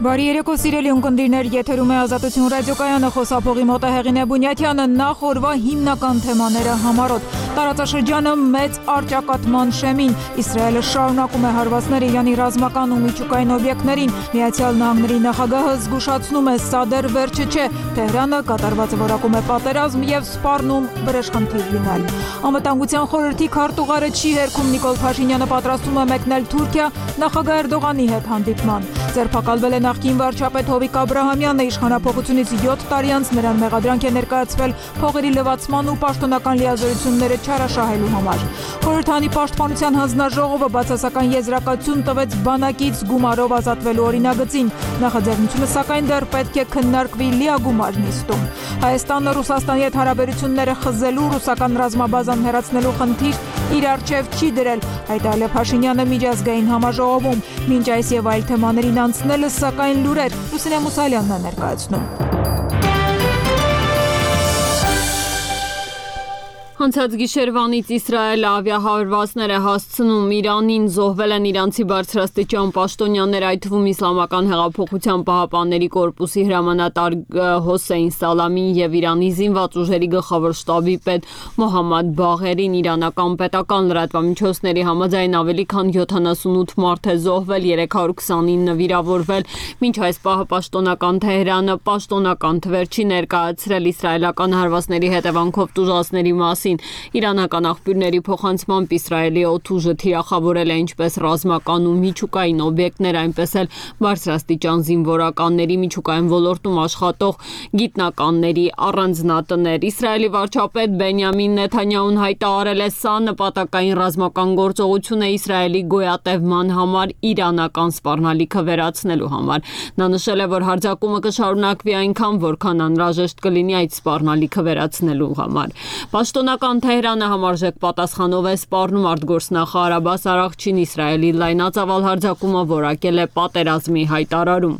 Բարի երեկո սիրելի ունկնդիրներ, եթերում է Ազատություն ռադիոկայանը, խոսափողի մոտ է Հեղինե Բունյաթյանը, նախ օրվա հիմնական թեմաները համառոտ։ Տարածաշրջանը մեծ առճակատման շեմին, Իսրայելը շարունակում է հարվածներ Իրանի ռազմական ու միջուկային օբյեկտներին, Միացյալ Նահանգների նախագահը զգուշացնում է, սա դեռ վերջը չէ, Թեհրանը կատարվածը որակում է պատերազմ եւ սպառնում բրեժխնդիր լինել։ Անվտանգության խորհրդի քարտուղարը չի հերքում, Նիկոլ Փաշինյանը պատրաստվում է մեկնել Թուրքիա նախագահ Էրդողանի հետ հանդիպման։ Ձերբակալվել է նախկին վարչապետ Հովիկ Աբրահամյանը, իշխանափոխությունից 7 տարի անց նրան մեղադրանք է ներկայացվել փողերի լվացման ու պաշտոնական լիազորությունները չարաշահելու համար։ Խորհրդանի պաշտպանության հանձնաժողովը բացասական եզրակացություն տվեց բանակից գումարով ազատվելու օրինագծին։ Նախաձեռնությունը սակայն դեռ պետք է քննարկվի լիագումար նիստում։ Հայաստանը Ռուսաստանի հետ հարաբերությունները խզելու, ռուսական ռազմաբազան հեռացնելու խնդիր իր առջև չի դրել, հայտարարել է Փաշինյանը միջազգային համաժողովում։ Մինչ այս եւ այլ թեմաներին անցնելը սակայն լուրեր Լուսինե Մուսալյանն է ներկայացնում։ Անցած գիշերվանից Իսրայելը ավիահարվածներ է հասցնում Իրանին, զոհվել են իրանցի բարձրաստիճան պաշտոնյաներ, այդ թվում Իսլամական հեղափոխության պահապանների կորպուսի հրամանատար Հոսեյն Սալամին եւ Իրանի զինված ուժերի գլխավոր շտաբի պետ Մոհամմադ Բաղերին, իրանական պետական լրատվամիջոցների համաձայն ավելի քան 78 մարդ է զոհվել, 329 վիրավորվել, մինչ այս պահը պաշտոնական Թեհրանը պաշտոնական թվեր չի ներկայացրել իսրայելական հարվածների հետևանքով տուժածների մասին։ Իրանական աղբյուրների փոխանցմամբ Իսրայելի օդուժը թիրախավորել է ինչպես ռազմական ու միջուկային օբյեկտներ, այնպես էլ բարձրաստիճան զինվորականների, միջուկային ոլորտում աշխատող գիտնականների առանձնատներ։ Իսրայելի վարչապետ Բենյամին Նեթանյահուն հայտարարել է, սա նպատակային ռազմական գործողություն է Իսրայելի գոյատևման համար, իրանական սպառնալիքը վերացնելու համար։ Նա նշել է, որ հարձակումը կշարունակվի այնքան, որքան անհրաժեշտ կլինի այդ սպառնալիքը վերացնելու համար։ Պաշտոնական Թեհրանը համարժեք պատասխանով է սպառնում արտգործնախարար Աբբաս Արաղչին Իսրայելի լայնածավալ հարձակումը որակել է պատերազմի հայտարարում։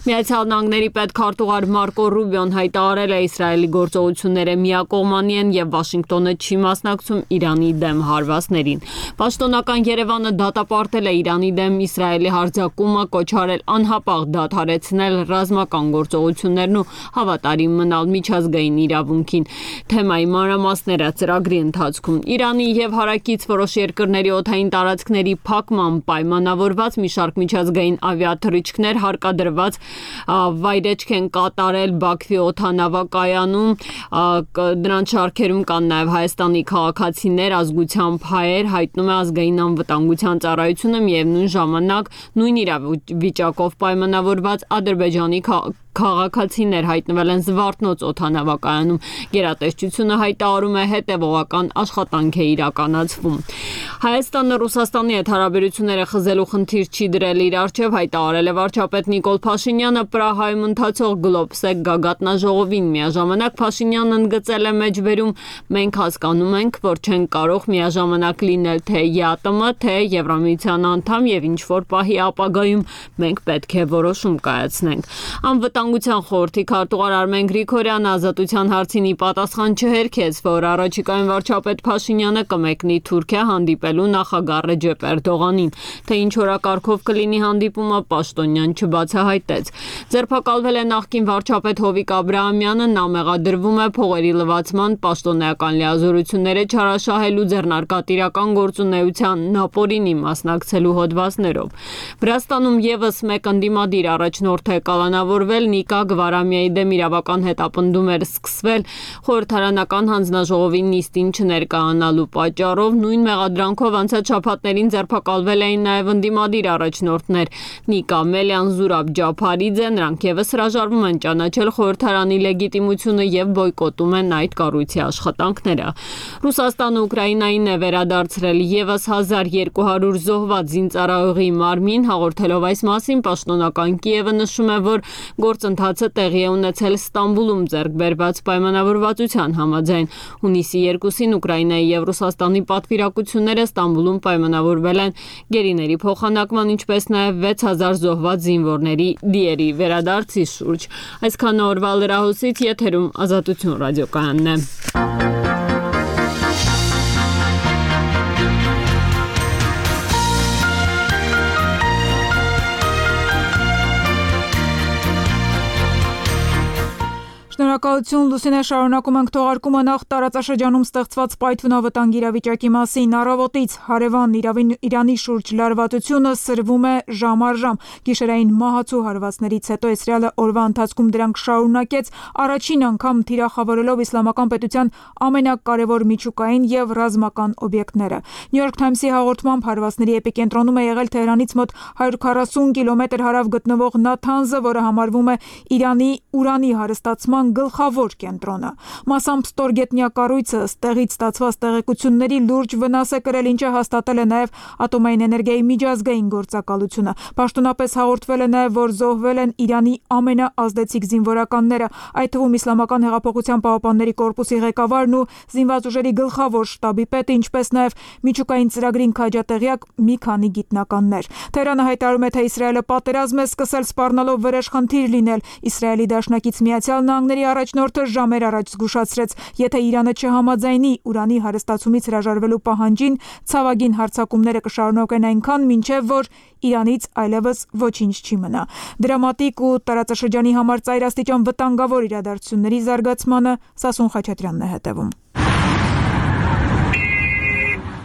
Միացյալ Նահանգների պետքարտուղար Մարկո Ռուբիոն հայտարարել է, Իսրայելի գործողությունները միակողմանի են եւ Վաշինգտոնը չի մասնակցում Իրանի դեմ հարվածներին։ Պաշտոնական Երևանը դատապարտել է Իրանի դեմ Իսրայելի հարձակումը, կոչարել անհապաղ դադարեցնել ռազմական գործողություններն ու հավատարիմ մնալ միջազգային իրավունքին։ Թեմայի մանրամասները ծրագրի ընթացքում Իրանի եւ հարակից որոշ երկրների օդային տարածքների փակման պայմանավորված մի շարք միջազգային ավիաթռիչքներ հարկադրված վայրեջք են կատարել Բաքվի օդանավակայանում, դրանց շարքերում կան նաեւ Հայաստանի քաղաքացիներ, ազգությամբ հայեր, հայտնում է ազգային անվտանգության ծառայությունը, միևնույն ժամանակ նույն իրավիճակով պայմանավորված Ադրբեջանի քաղաքացիներ հայտնվել են Զվարթնոց օդանավակայանում։ Գերատեսչությունը հայտարարում է, հետևողական աշխատանք է իրականացվում։ Հայաստանը Ռուսաստանի հետ հարաբերությունները խզելու խնդիր չի դրել իր առջև, հայտարարել է վարչապետ Նիկոլ Փաշինյանը Պրահայում ընթացող Գլոբսեկ գագաթնաժողովին։ Միաժամանակ Փաշինյանն ընդգծել է մեջբերում, մենք հասկանում ենք, որ չեն կարող միաժամանակ լինել թե ԵԱՏՄ, թե Եվրամիության անդամ եւ ինչ որ պահի ապագայում մենք պետք է որոշում կայացնենք։ Անվտանգության խորհրդի քարտուղար Արմեն Գրիգորյանը Ազատության հարցին ի պատասխան չհերքեց, որ առաջիկայում վարչապետ Փաշինյանը կմեկնի Թուրքիա հանդիպելու նախագահ Ռեջեփ Էրդողանին, թե ինչ օրակարգով կլինի հանդիպումը, պաշտոնյան չբացահայտեց։ Ձերբակալվել է նախկին վարչապետ Հովիկ Աբրահամյանը, նա մեղադրվում է փողերի լվացման, պաշտոնական լիազորությունները չարաշահելու, ձեռնարկատիրական գործունեության նապորինի մասնակցելու հոդվածներով։ Վրաստանում եւս մեկ ընդդիմադիր առաջնորդ է կալանավորվել, Նիկա Գվարամիայի դեմ իրավական հետապնդում էր սկսվել խորհրդարանական հանձնաժողովի նիստին չներկայանալու պատճառով, նույն մեղադրանքով անցած շաբաթներին ձերբակալվել էին նաև ընդդիմադիր առաջնորդներ Նիկա Մելյան, Զուրաբ Ջափարիձե, նրանք եւս հրաժարվում են ճանաչել խորհրդարանի լեգիտիմությունը եւ բոյկոտում են այդ կառույցի աշխատանքները։ Ռուսաստանը Ուկրաինային է վերադարձրել եւս 1200 զոհված զինծառայողի մարմին, հաղորդելով այս մասին պաշտոնական Կիևը նշում է, որ գործընթացը տեղի է ունեցել Ստամբուլում ձեռք բերված պայմանավորվածության համաձայն։ Հունիսի 2-ին Ուկրաինայի եւ Ռուսաստանի պատվիրակությունները Ստամբուլում պայմանավորվել են գերիների փոխանակման, ինչպես նաեւ 6000 զոհված զինվորների դիերի վերադարձի շուրջ։ Այսքան օրվա լրահոսից եթերում Ազատություն ռադիոկայանն է։ Շնորհակալություն Լուսինե, շարունակում ենք թողարկումը նախ տարածաշրջանում ստեղծված պայթյունավտանգ իրավիճակի մասին։ Առավոտից հարևան Իրանի շուրջ լարվածությունը սրվում է ժամ առ ժամ։ Գիշերային մահացու հարվածներից հետո Իսրայելը օրվա ընթացքում դրանք շարունակեց, առաջին անգամ թիրախավորելով իսլամական պետության ամենակարևոր միջուկային եւ ռազմական օբյեկտները։ New York Times-ի հաղորդմամբ հարվածների էպիկենտրոնում է եղել Թեհրանից մոտ 140 կիլոմետր հարավ գտնվող Նաթանզը, որը համարվում է Իրանի ուրանի հարստացման գլխավոր կենտրոնը։ Մասամբ ստորգետնյա կառույցը ստեղից ստացված տեղեկությունների լուրջ վնաս է կրել, ինչը հաստատել է նաև ատոմային էներգիայի միջազգային գործակալությունը։ Պաշտոնապես հաղորդվել է նաև, որ զոհվել են Իրանի ամենաազդեցիկ զինվորականները, այդ թվում Իսլամական հեղափոխության պահապանների կորպուսի ղեկավարն ու զինված ուժերի գլխավոր շտաբի պետը, ինչպես նաև միջուկային ծրագրին քաջատեղյակ մի քանի գիտնականներ։ Թեհրանը հայտարարում է, թե Իսրայելը պատերազմ է սկսել սպառնալով վրեժխնդիր լինել։ Իսրայելի դաշնակից Միացյալ Նահանգների առաջնորդը ժամեր առաջ զգուշացրեց, եթե Իրանը չհամաձայնի ուրանի հարստացումից հրաժարվելու պահանջին, ցավագին հարձակումները կշարունակեն այնքան, մինչև որ Իրանից այլևս ոչինչ չի մնա։ Դրամատիկ ու տարածաշրջանի համար ծայրաստիճան վտանգավոր իրադարձությունների զարգացմանը Սասուն Խաչատրյանն է հետևում։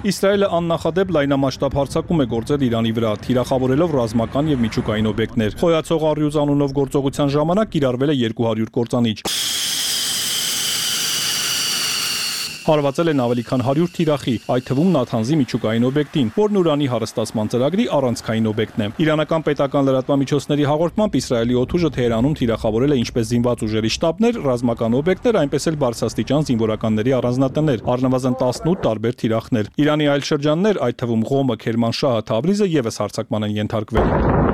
Իսրայելը աննախադեպ լայնամասշտաբ հարձակում է գործել Իրանի վրա, թիրախավորելով ռազմական եւ միջուկային օբյեկտներ։ Խոյացող առյուծ անունով գործողության ժամանակ կիրառվել է 200 կործանիչ։ Հարվածել են ավելի քան 100 թիրախի, այդ թվում Նաթանզի միջուկային օբյեկտին, որն ուրանի հարստացման ծրագրի առանցքային օբյեկտն է։ Իրանական պետական լրատվամիջոցների հաղորդմամբ Իսրայելի օդուժը Թեհրանում թիրախավորել է ինչպես զինված ուժերի շտաբներ, ռազմական օբյեկտներ, այնպես էլ բարձրաստիճան զինվորականների առանձնատներ, առնվազն 18 տարբեր թիրախներ։ Իրանի այլ շրջաններ, այդ թվում Ղոմը, Քերմանշահը, Թավրիզը եւս հարձակման են ենթարկվել։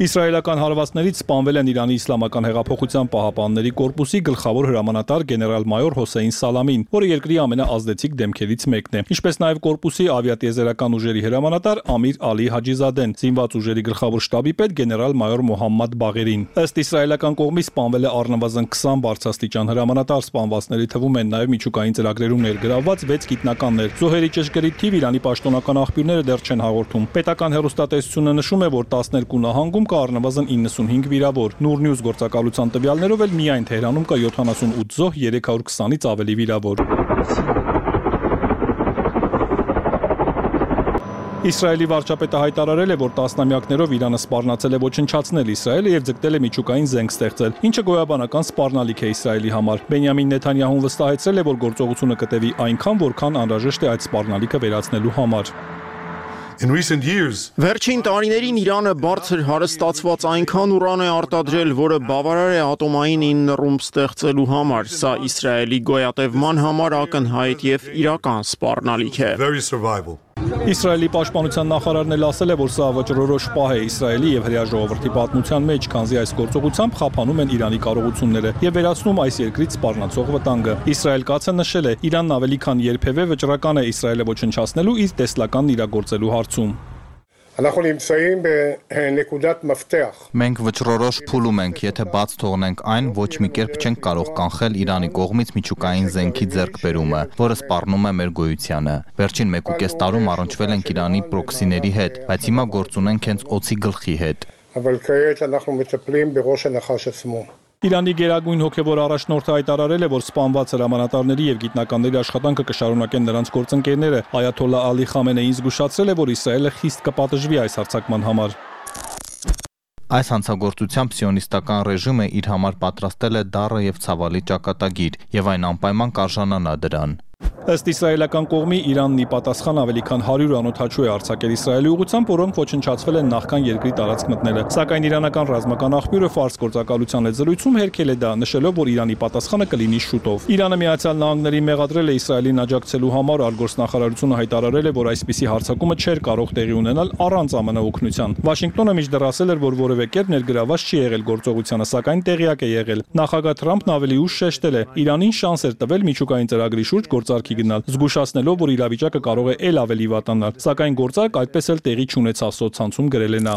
Իսրայելական հարվածներից սպանվել են Իրանի իսլամական հեղափոխության պահապանների կորպուսի գլխավոր հրամանատար գեներալ-մայոր Հոսեյն Սալամին, որը երկրի ամենաազդեցիկ դեմքերից մեկն է, ինչպես նաև կորպուսի ավիատիեզերական ուժերի հրամանատար Ամիր Ալի Հաջիզադեն, զինված ուժերի գլխավոր շտաբի պետ գեներալ-մայոր Մոհամմադ Բաղերին։ Ըստ իսրայելական կողմի սպանվել է առնվազն 20 բարձրաստիճան հրամանատար, սպանվածների թվում են նաև միջուկային ծրագրերում ներգրավված 6 գիտնականներ։ Զոհերի ճշգրիտ թիվ Իրանի պաշտոնական աղբյուրները դեռ չեն հաղորդում։ Պետական հեռուստատեսությունը նշում է, որ 12 նահանգում կա առնվազն 95 վիրավոր։ Նուր Նյուզ գործակալության տվյալներով էլ միայն Թեհրանում կա 78 զոհ, 320-ից ավելի վիրավոր։ Իսրայելի վարչապետը հայտարարել է, որ տասնամյակներով Իրանը սպառնացել է ոչնչացնել Իսրայելը եւ ձգտել է միջուկային զենք ստեղծել, ինչը գոյաբանական սպառնալիք է Իսրայելի համար։ Բենյամին Նեթանյահուն վստահեցրել է, որ գործողությունը կտևի այնքան, որքան անհրաժեշտ է այդ սպառնալիքը վերացնելու համար։ Վերջին տարիներին Իրանը բարձր հարստացված այնքան ուրան է արտադրել, որը բավարար է ատոմային 9 ռումբ ստեղծելու համար։ Սա Իսրայելի գոյատևման համար ակնհայտ եւ իրական սպառնալիք է։ Իսրայելի պաշտպանության նախարարն էլ ասել է, որ սա վճռորոշ պահ է Իսրայելի եւ հրեա ժողովրդի պատմության մեջ, քանզի այս գործողությամբ խափանում են Իրանի կարողությունները եւ վերացնում այս երկրից սպառնացող վտանգը։ Իսրայել կացը նշել է, Իրանն ավելի քան երբևէ վճռական է Իսրայելը ոչնչացնելու իր տեսլականն իրագործելու հարցում։ Մենք վճռորոշ փուլում ենք, եթե բաց թողնենք այն, ոչ մի կերպ չենք կարող կանխել Իրանի կողմից միջուկային զենքի ձեռքբերումը, որը սպառնում է մեր գոյությանը։ Վերջին 1.5 տարում առնչվել ենք Իրանի պրոքսիների հետ, բայց հիմա գործ ունենք հենց օձի գլխի հետ։ Իրանի գերագույն հոգևոր առաջնորդը հայտարարել է, որ սպանված հրամանատարների եւ գիտնականների աշխատանքը կշարունակեն նրանց գործընկերները։ Այաթոլլա Ալի Խամենեին զգուշացրել է, որ Իսրայելը խիստ կպատժվի այս հարձակման համար։ Այս հանցագործությամբ սիոնիստական ռեժիմը իր համար պատրաստել է դառը եւ ցավալի ճակատագիր, եւ այն անպայման կարժանանա դրան։ Ըստ իսրայելական կողմի Իրանն ի պատասխան ավելի քան 100 անօդաչու է արձակել Իսրայելի ուղղությամբ, որոնք ոչնչացվել են նախքան երկրի տարածք մտնելը։ Սակայն իրանական ռազմական աղբյուրը Ֆարս գործակալության հետ զրույցում հերքել է դա, նշելով, որ Իրանի պատասխանը կլինի շուտով։ Իրանը Միացյալ Նահանգներին մեղադրել է Իսրայելին աջակցելու համար, արտգործնախարարությունը հայտարարել է, որ այսպիսի հարձակումը չէր կարող տեղի ունենալ առանց ԱՄՆ օգնության։ Վաշինգտոնը մինչդեռ ասել էր, որ որևէ կերպ ներգրավված չի եղել գործողությանը, սակայն տեղյակ է եղել։ Նախագահ Թրամփն ավելի ուշ շեշտել է, Իրանին շանս էր տվել միջուկային ծրագրի շուրջ գործարքի գնալ, զգուշացնելով, որ իրավիճակը կարող է էլ ավելի վատանալ, սակայն գործարք այդպես էլ տեղի չունեցավ, սոցցանցում գրել է նա։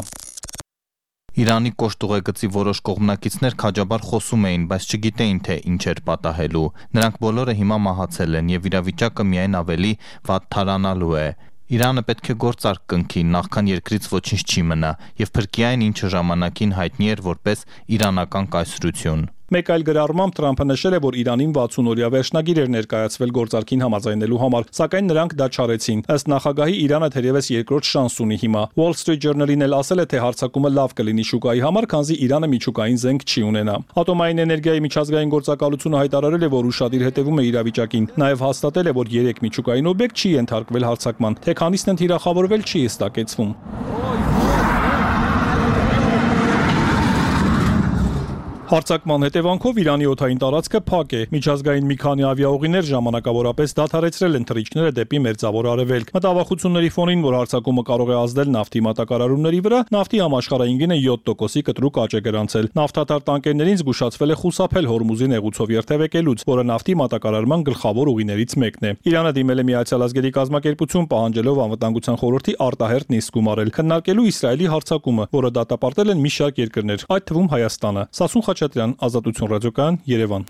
Իրանի կոշտ ուղեգծի որոշ կողմնակիցներ քաջաբար խոսում էին, բայց չգիտեին, թե ինչ էր պատահելու։ Նրանք բոլորը հիմա մահացել են եւ իրավիճակը միայն ավելի վատթարանալու է։ Իրանը պետք է գործարք կնքի, նախքան երկրից ոչինչ չի մնա, եւ փրկի այն, ինչը ժամանակին հայտնի էր որպես իրանական կայսրություն։ Մեկ այլ գրառմամբ Թրամփը նշել է, որ Իրանին 60-օրյա վերջնագիր էր ներկայացվել գործարքին համաձայնելու համար, սակայն նրանք դա չարեցին։ Ըստ նախագահի Իրանը թերևս երկրորդ շանս ունի հիմա։ Wall Street Journal-ին էլ ասել է, թե հարձակումը լավ կլինի շուկայի համար, քանզի Իրանը միջուկային զենք չի ունենա։ Ատոմային էներգիայի միջազգային գործակալությունը հայտարարել է, որ ուշադիր հետևում է իրավիճակին։ Նաև հաստատել է, որ 3 միջուկային օբյեկտ չի ենթարկվել հարձակման, թե քանիսն են թիրախավորվել չի հստակեցվում։ Հարձակման հետևանքով Իրանի օդային տարածքը փակ է։ Միջազգային մի քանի ավիաուղիներ ժամանակավորապես դադարեցրել են թռիչքները դեպի Մերձավոր Արևելք։ Մտավախությունների ֆոնին, որ հարձակումը կարող է ազդել նավթի մատակարարումների վրա, նավթի համաշխարհային գինը 7%-ի կտրուկ աճ է գրանցել։ Նավթատար տանկերներին զգուշացվել է խուսափել Հորմուզի նեղուցով երթևեկելուց, որը նավթի մատակարարման գլխավոր ուղիներից մեկն է։ Իրանը դիմել է Միացյալ Ազգերի կազմակերպություն, պահանջելով Անվտանգության խորհրդի արտահերթ նիստ գումարել, քննարկելու Իսրայելի հարձակումը, որը դատապարտել են մի շարք երկրներ, այդ թվում Հայաստանը։ Սասուն Խաչատրյան, Ազատություն ռադիոկայան, Երևան։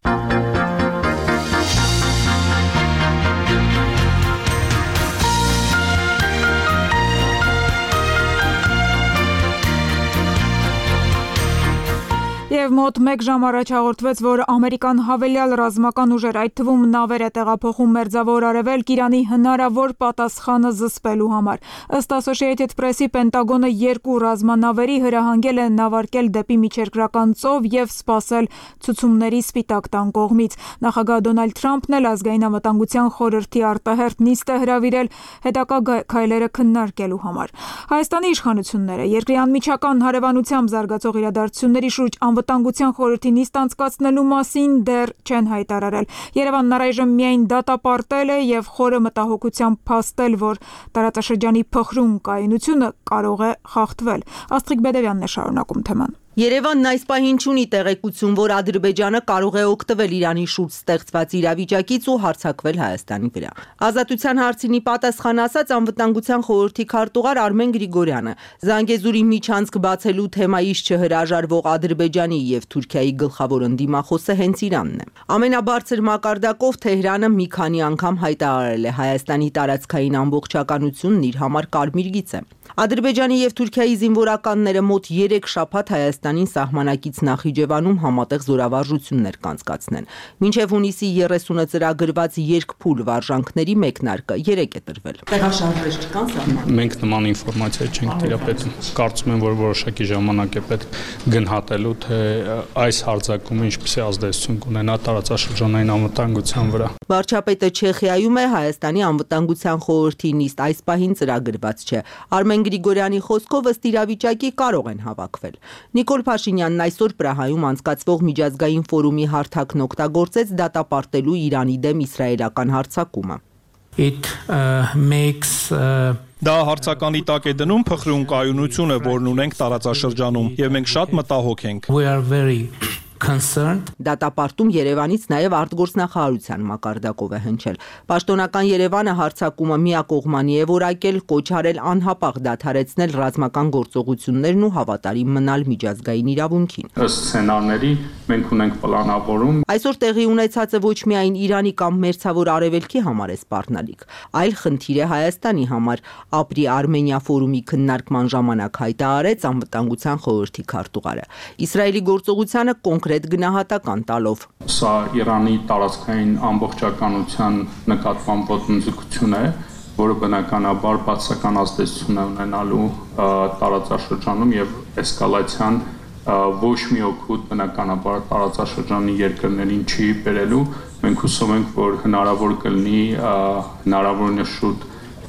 Եվ մոտ 1 ժամ առաջ հաղորդվեց, որ ամերիկան հավելյալ ռազմական ուժեր, այդ թվում նավեր է տեղափոխում Մերձավոր Արևելք Իրանի հնարավոր պատասխանը զսպելու համար։ Ըստ Associated Press-ի Պենտագոնը 2 ռազմանավերի հրահանգել է նավարկել դեպի միջերկրական ծով եւ սպասել ցուցումների Սպիտակ տան կողմից։ Նախագահ Դոնալդ Թրամփն էլ ազգային անվտանգության խորհրդի արտահերթ նիստ է հրավիրել հետագա քայլերը քննարկելու համար։ Հայաստանի իշխանությունները երկրի անմիջական հարևանությամբ զարգացող իրադարձությունների շուրջ Անվտանգության խորհրդի նիստ անցկացնելու մասին դեռ չեն հայտարարել։ Երևանն առայժմ միայն դատապարտել է եւ խորը մտահոգությամբ փաստել, որ տարածաշրջանի փխրուն կայունությունը կարող է խախտվել։ Աստղիկ Բեդևյանն է շարունակում թեման։ Երևանն այս պահին չունի տեղեկություն, որ Ադրբեջանը կարող է օգտվել Իրանի շուրջ ստեղծված իրավիճակից ու հարձակվել Հայաստանի վրա։ Ազատության հարցինի պատասխան ասաց Անվտանգության խորհրդի քարտուղար Արմեն Գրիգորյանը։ Զանգեզուրի միջանցք բացելու թեմայից չհրաժարվող Ադրբեջանի եւ Թուրքիայի գլխավոր ընդդիմախոսը հենց Իրանն է։ Ամենաբարձր մակարդակով Թեհրանը մի քանի անգամ հայտարարել է Հայաստանի տարածքային ամբողջականությունն իր համար կարմիր գիծ է։ Ադրբեջանի եւ Թուրքիայի զինվորականները մոտ 3 շաբաթ Հայաստանին սահմանակից Նախիջևանում համատեղ զորավարժություններ կանցկացնեն։ Մինչև հունիսի 30-ը ծրագրված երկփուլ վարժանքների մեկնարկը 3 է տրվել։ Տեղաշարժեր չկան սահմանում։ Մենք նման ինֆորմացիա չենք տիրապետում։ Կարծում եմ, որ որոշակի ժամանակ է պետք գնահատելու, թե այս հարձակումը ինչպիսի ազդեցություն կունենա տարածաշրջանային անվտանգության վրա։ Վարչապետը Չեխիայում է, Հայաստանի անվտանգության խորհրդի նիստ այս պահին ծրագրված չէ։ Արմեն Գրիգորյանի խոսքով ըստ իրավիճակի կարող են հավաքվել։ Նիկոլ Փաշինյանն այսօր Պրահայում անցկացվող միջազգային ֆորումի հարթակն օգտագործեց դատապարտելու Իրանի դեմ իսրայելական հարձակումը։ Դա հարցականի տակ է դնում փխրուն կայունությունը, որն ունենք տարածաշրջանում, եւ մենք շատ մտահոգ ենք։ Դատապարտում Երևանից նաև արտգործնախարարության մակարդակով է հնչել։ Պաշտոնական Երևանը հարձակումը միակողմանի է որակել, կոչ արել անհապաղ դադարեցնել ռազմական գործողություններն ու հավատարիմ մնալ միջազգային իրավունքին։ Ըստ սցենարների մենք ունենք պլանավորում։ Այսօր տեղի ունեցածը ոչ միայն Իրանի կամ Մերձավոր Արևելքի համար է սպառնալիք, այլ խնդիր է Հայաստանի համար, ապրի Արմենիա ֆորումի քննարկման ժամանակ հայտարարեց Անվտանգության խորհրդի քարտուղարը։ Իսրայելի գործողությանը կոնկրետ գնահատական տալով։ Սա Իրանի տարածքային ամբողջականության նկատմամբ ոտնձգություն է, որը բնականաբար բացական ազդեցություն է ունենալու տարածաշրջանում եւ էսկալացիան ոչ մի օգուտ բնականաբար տարածաշրջանի երկրներին չի բերելու։ Մենք հուսով ենք, որ հնարավոր կլինի հնարավորինս շուտ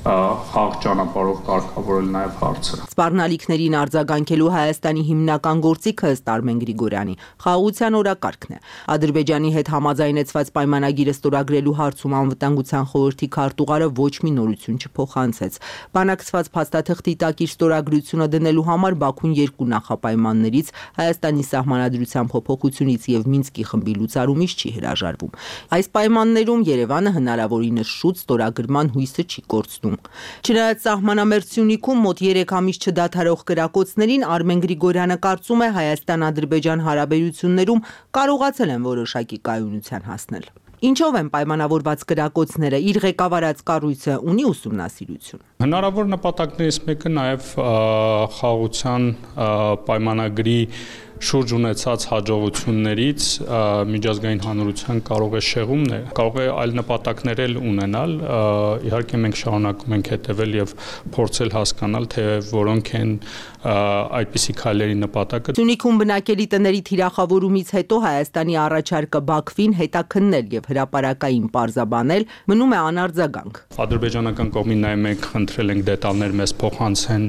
խաղ ճանապարհով կարգավորել նաև հարցը։ Սպառնալիքներին արձագանքելու Հայաստանի հիմնական գործիքը ըստ Արմեն Գրիգորյանի խաղաղության օրակարգն է։ Ադրբեջանի հետ համաձայնեցված պայմանագիրը ստորագրելու հարցում Անվտանգության խորհրդի քարտուղարը ոչ մի նորություն չփոխանցեց։ Բանակցված փաստաթղթի տակ իր ստորագրությունը դնելու համար Բաքուն 2 նախապայմաններից Հայաստանի սահմանադրության փոփոխությունից եւ Մինսկի խմբի լուծարումից չի հրաժարվում։ Այս պայմաններում Երևանը հնարավորինս շուտ ստորագրման հույսը չի կորցնում։ Չնայած սահմանամերձ Սյունիքում մոտ 3 ամիս չդադարող կրակոցներին Արմեն Գրիգորյանը կարծում է Հայաստան-Ադրբեջան հարաբերություններում կարողացել են որոշակի կայունության հասնել։ Ինչով են պայմանավորված կրակոցները, իր ղեկավարած կառույցը ունի ուսումնասիրություն։ Հնարավոր նպատակներից մեկը նաև խաղաղության պայմանագրի շուրջ ունեցած հաջողություններից միջազգային հանրության կարող է շեղումն է, կարող է այլ նպատակներ էլ ունենալ, իհարկե մենք շարունակում ենք հետևել եւ փորձել հասկանալ, թե որոնք են այդպիսի քայլերի նպատակը։ Սյունիքում բնակելի տների թիրախավորումից հետո Հայաստանի առաջարկը Բաքվին հետաքննել եւ հրապարակային պարզաբանել մնում է անարձագանք։ Ադրբեջանական կողմին նաև մենք խնդրել ենք դետալներ մեզ փոխանցեն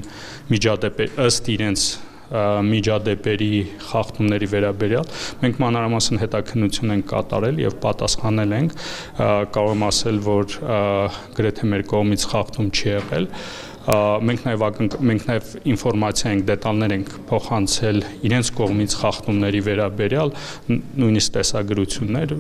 միջադեպեր ըստ իրենց միջադեպերի խախտումների վերաբերյալ մենք մանրամասն հետաքննություն ենք կատարել եւ պատասխանել ենք կարող եմ ասել որ գրեթե մեր կողմից խախտում չի եղել մենք նաև ինֆորմացիա ենք դետալներ ենք փոխանցել իրենց կողմից խախտումների վերաբերյալ նույնիսկ տեսագրություններ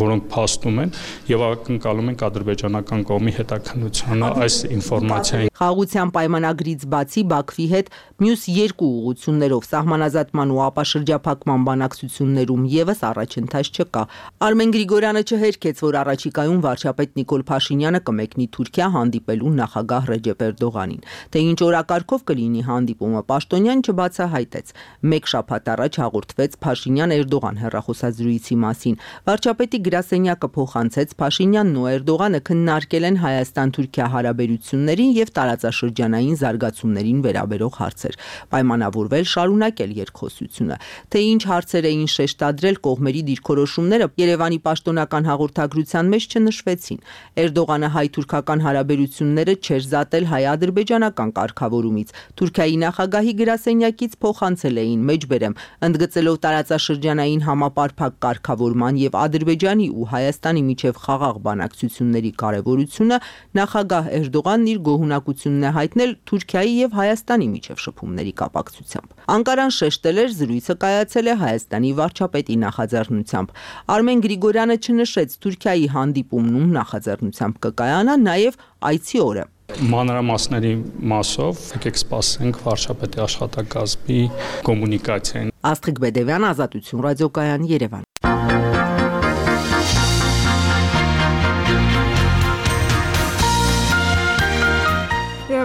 որոնք փաստում են եւ ակնկալում ենք ադրբեջանական կողմի հետաքննությունը այս ինֆորմացիային Խաղաղության պայմանագրից բացի Բաքվի հետ մյուս երկու ուղղություններով սահմանազատման ու ապաշրջափակման բանակցություններում եւս առաջընթաց չկա։ Արմեն Գրիգորյանը չհերքեց, որ առաջիկայում վարչապետ Նիկոլ Փաշինյանը կմեկնի Թուրքիա հանդիպելու նախագահ Ռեջեփ Էրդողանին։ Թե ինչ օրակարգով կլինի հանդիպումը, Պաշտոնյան չբացահայտեց։ Մեկ շաբաթ առաջ հաղորդվեց Փաշինյան-Էրդողան հեռախոսազրույցի մասին։ Վարչապետի գրասենյակը փոխանցեց Փաշինյանն ու Էրդողանը քննարկել են Հայաստան-Թուրքիա հարաբերություններին եւ տարածաշրջանային զարգացումներին վերաբերող հարցեր, պայմանավորվել շարունակել երկխոսությունը։ Թե ինչ հարցեր էին շեշտադրել կողմերի դիրքորոշումները Երևանի պաշտոնական հաղորդագրության մեջ չնշվեցին։ Էրդողանը հայ-թուրքական հարաբերությունները չէր զատել հայ-ադրբեջանական կարգավորումից։ Թուրքիայի նախագահի գրասենյակից փոխանցել էին մեջբերեմ, ընդգծելով տարածաշրջանային համապարփակ կարգավորման եւ Ադրբեջանի ու Հայաստանի միջև խաղաղ բանակցությունների կարեւորությունը, նախագահ Էրդողանն իր գոհունակությունն է հայտնել Թուրքիայի եւ Հայաստանի միջև շփումների կապակցությամբ։ Անկարան շեշտել էր զրույցը կայացել է Հայաստանի վարչապետի նախաձեռնությամբ։ Արմեն Գրիգորյանը չնշեց Թուրքիայի հանդիպումն ում նախաձեռնությամբ կկայանա նաեւ այցի օրը։ Մանրամասների մասով եկեք սպասենք վարչապետի աշխատակազմի կոմունիկացիային։ Աստղիկ Բեդևյան, Ազատություն ռադիոկայան, Երևան։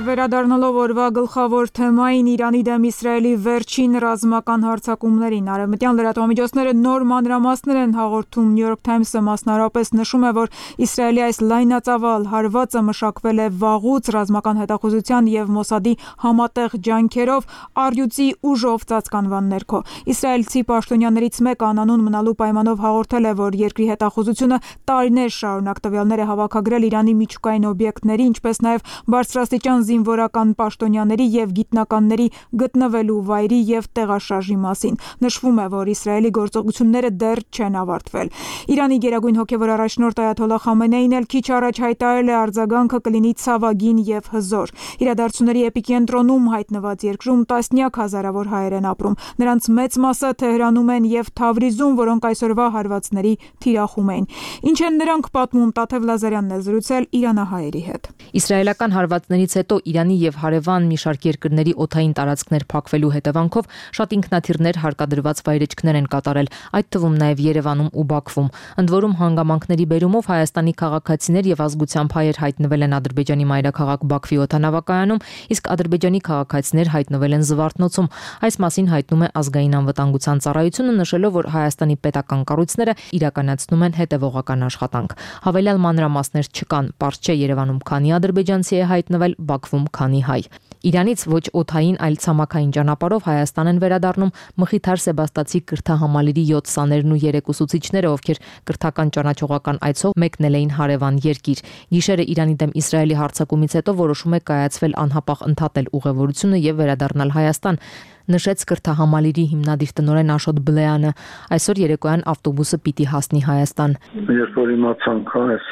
Վերադառնալով օրվա գլխավոր թեմային Իրանի դեմ Իսրայելի վերջին ռազմական հարձակումներին, արևմտյան լրատվամիջոցները նոր մանրամասներ են հաղորդում։ New York Times-ը մասնարարապես նշում է, որ Իսրայելի այս լայնածավալ հարվածը մշակվել է վաղուց ռազմական հետախուզության եւ Մոսադի համատեղ ջանքերով առյուծի ուժով ծածկանվան ներքո։ Իսրայելցի պաշտոնյաներից մեկը անանուն մնալու պայմանով հաղորդել է, որ երկրի հետախուզությունը տարիներ շարունակ տվյալներ է հավաքագրել Իրանի միջուկային օբյեկտների, ինչպես նաեւ բարձրաստիճան զինվորական պաշտոնյաների եւ գիտնականների գտնվելու վայրի եւ տեղաշարժի մասին։ Նշվում է, որ Իսրայելի գործողությունները դեռ չեն ավարտվել։ Իրանի գերագույն հոգեվոր առաջնորդ Այաթոլլահ Խամենեին էլ քիչ առաջ հայտարարել է արձագանքը կլինի ցավագին եւ հզոր։ Իրադարձությունների էպիկենտրոնում հայտնված երկրում տասնյակ հազարավոր հայեր են ապրում։ Նրանց մեծ մասը Թեհրանում են եւ Թավրիզում, որոնք այսօրվա հարվածների թիրախում են։ Ինչ են նրանք պատմում, Տաթև Լազարյանն է զրուցել իրանահայերի հետ։ Իսրայելական հարվածներից հետո Իրանի եւ հարևան մի շարք երկրների օդային տարածքներ փակվելու հետևանքով շատ ինքնաթիռներ հարկադրված վայրեջքներ են կատարել, այդ թվում նաեւ Երևանում ու Բաքվում։ Ընդ որում հանգամանքների բերումով Հայաստանի քաղաքացիներ եւ ազգությամբ հայեր հայտնվել են Ադրբեջանի մայրաքաղաք Բաքվի օդանավակայանում, իսկ ադրբեջանի քաղաքացիներ հայտնվել են Զվարթնոցում։ Այս մասին հայտնում է ազգային անվտանգության ծառայությունը, նշելով, որ Հայաստանի պետական կառույցները իրականացնում են հետևողական աշխատանք։ Հավելյալ մանրամասներ չկան, պարզ չէ Երևանում քանի ադրբեջանցի է հայտնվել, Բաքվում քանի հայ։ Իրանից ոչ օդային, այլ ցամաքային ճանապարհով Հայաստան են վերադառնում Մխիթար Սեբաստացի կրթահամալիրի 7 սաներն ու 3 ուսուցիչները, ովքեր կրթական ճանաչողական այցով մեկնել էին հարևան երկիր։ Գիշերը Իրանի դեմ Իսրայելի հարձակումից հետո որոշում է կայացվել անհապաղ ընդհատել ուղևորությունը եւ վերադառնալ Հայաստան, նշեց կրթահամալիրի հիմնադիր տնօրեն Աշոտ Բլեյանը։ Այսօր երեկոյան ավտոբուսը պիտի հասնի Հայաստան։ Երբ որ իմացանք այս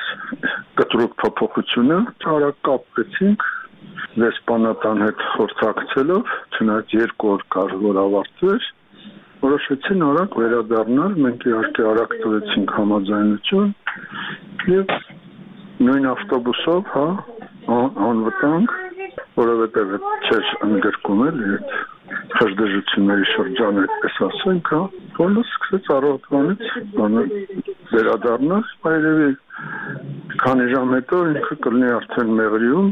կտրուկ փոփոխությունը, արագ կապվեցինք դեսպանատան հետ խորհրդակցելով, չնայած 2 օր կար որ ավարտվեր, որոշեցին արագ վերադառնալ, մենք իհարկե արագ տվեցինք համաձայնություն եւ նույն ավտոբուսով, անվտանգ որովհետև չէր ընդգրկում էլի այդ խժդժությունների շրջանը, այդպես ասենք, բոլորը սկսեց առավոտվանից վերադառնալ, երևի քանի ժամ հետո ինքը կլինի արդեն Մեղրիում,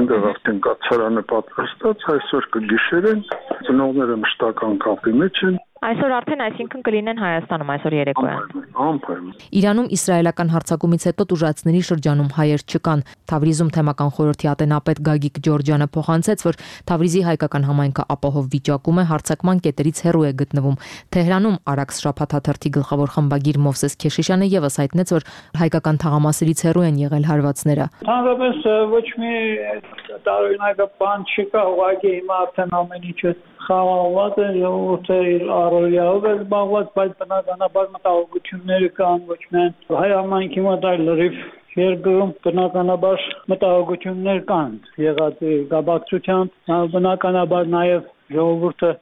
այնտեղ արդեն կացարանը պատրաստած, այսօր կգիշերեն, ծնողները մշտական կապի մեջ են։ Այսօր արդեն այսինքն կլինեն Հայաստանում այսօր երեկոյան։ Անպայման։ Իրանում իսրայելական հարձակումից հետո տուժածների շրջանում հայեր չկան։ Թավրիզում թեմական խորհրդի ատենապետ Գագիկ Ջորջյանը փոխանցեց, որ Թավրիզի հայկական համայնքը ապահով վիճակում է, հարձակման կետերից հեռու է գտնվում։ Թեհրանում Արաքս շաբաթաթերթի գլխավոր խմբագիր Մովսես Քեշիշյանը եւս հայտնեց, որ հայկական թաղամասերից հեռու են եղել հարվածները։ Հանրապես ոչ մի տարօրինակ բան չկա, ուղղակի հիմա արդեն ամեն ինչը խաղաղված է, ժողովուրդը իր առօրյայով է զբաղված, բայց բնականաբար մտահոգությունները կան ոչ միայն հայ համայնքի մոտ, այլ լրիվ երկրում բնականաբար մտահոգություններ կան եղած գաբակցությամբ, բնականաբար նաև ժողովուրդը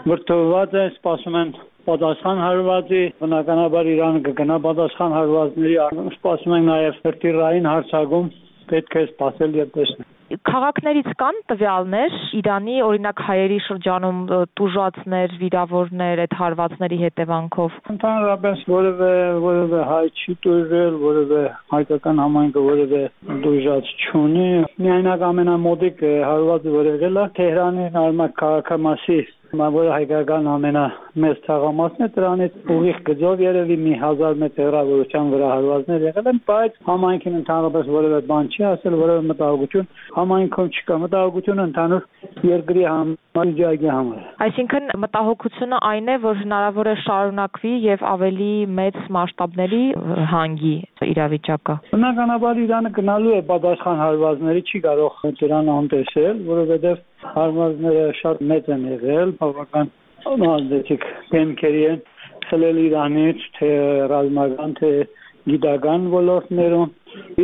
վրդովված է, սպասում են պատասխան հարվածի, բնականաբար Իրանը կգնա պատասխան հարվածների, սպասում են նաև հրթիռային հարձակում, պետք է սպասել եւ տեսնել։ Քաղաքներից կան տվյալներ Իրանի օրինակ հայերի շրջանում տուժածներ, վիրավորներ այդ հարվածների հետևանքով։ Ընդհանրապես որևէ հայ չի տուժել, որևէ հայկական համայնքը որևէ տուժած չունի։ Միայնակ ամենամոդիկ հարվածը որ եղել է Թեհրանի նորմալ քաղաքամասի, որը հայկական ամենամեծ թաղամասն է, դրանից ուղիղ գծով երևի մի 1000 մետր հեռավորության վրա հարվածներ եղել են, բայց համայնքին ընդհանրապես որևէ բան չի ասել, որևէ մտահոգություն համայնքում չկա, մտահոգությունը ընդհանուր երկրի համաճարակի համար։ Այսինքն մտահոգությունը այն է, որ հնարավոր է շարունակվի եւ ավելի մեծ մասշտաբների հանգի իրավիճակը։ Բնականաբար Իրանը գնալու է պատասխան հարվածների, չի կարող դրան անտեսել, որովհետեւ հարվածները շատ մեծ են եղել, բավական ազդեցիկ դեմքերի են խլել Իրանից, թե ռազմական, թե գիտական ոլորտներում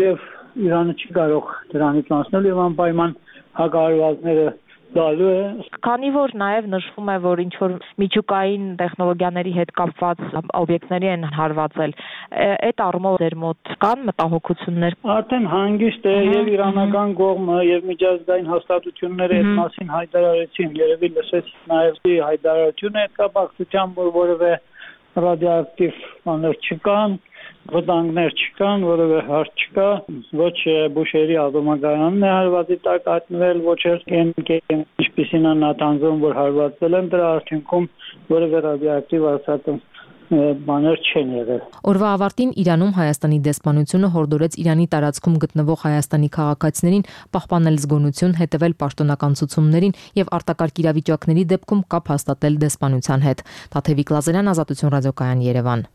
եւ Իրանը չի կարող դրանից անցնել եւ անպայման հակահարվածները դալու է։ Քանի որ նաև նշվում է, որ ինչ որ միջուկային տեխնոլոգիաների հետ կապված օբյեկտների են հարվածել, այդ առումով ձեր մոտ կան մտահոգություններ։ Արդեն հանգիստ է եւ իրանական կողմը եւ միջազգային հաստատությունները այդ մասին հայտարարեցին, երևի լսեց նաև հայտարարությունը այդ կապակցությամբ, որ որևէ ռադիոակտիվ բաներ չկան, վտանգներ չկան, որևէ հարց չկա, ոչ Բուշերի ատոմակայանն է հարվածի տակ հայտնվել, ոչ էլ ինչպիսին է Նաթանզում, որ հարվածել են, դրա արդյունքում որևէ ռադիոակտիվ արտադրանք բաներ չեն եղել։ Օրվա ավարտին Իրանում Հայաստանի դեսպանությունը հորդորեց Իրանի տարածքում գտնվող Հայաստանի քաղաքացիներին պահպանել զգոնություն, հետևել պաշտոնական ցուցումներին եւ արտակարգ իրավիճակների դեպքում կապ հաստատել դեսպանության հետ։ Թաթևիկ Լազարյան, Ազատություն ռադիոկայան, Երևան։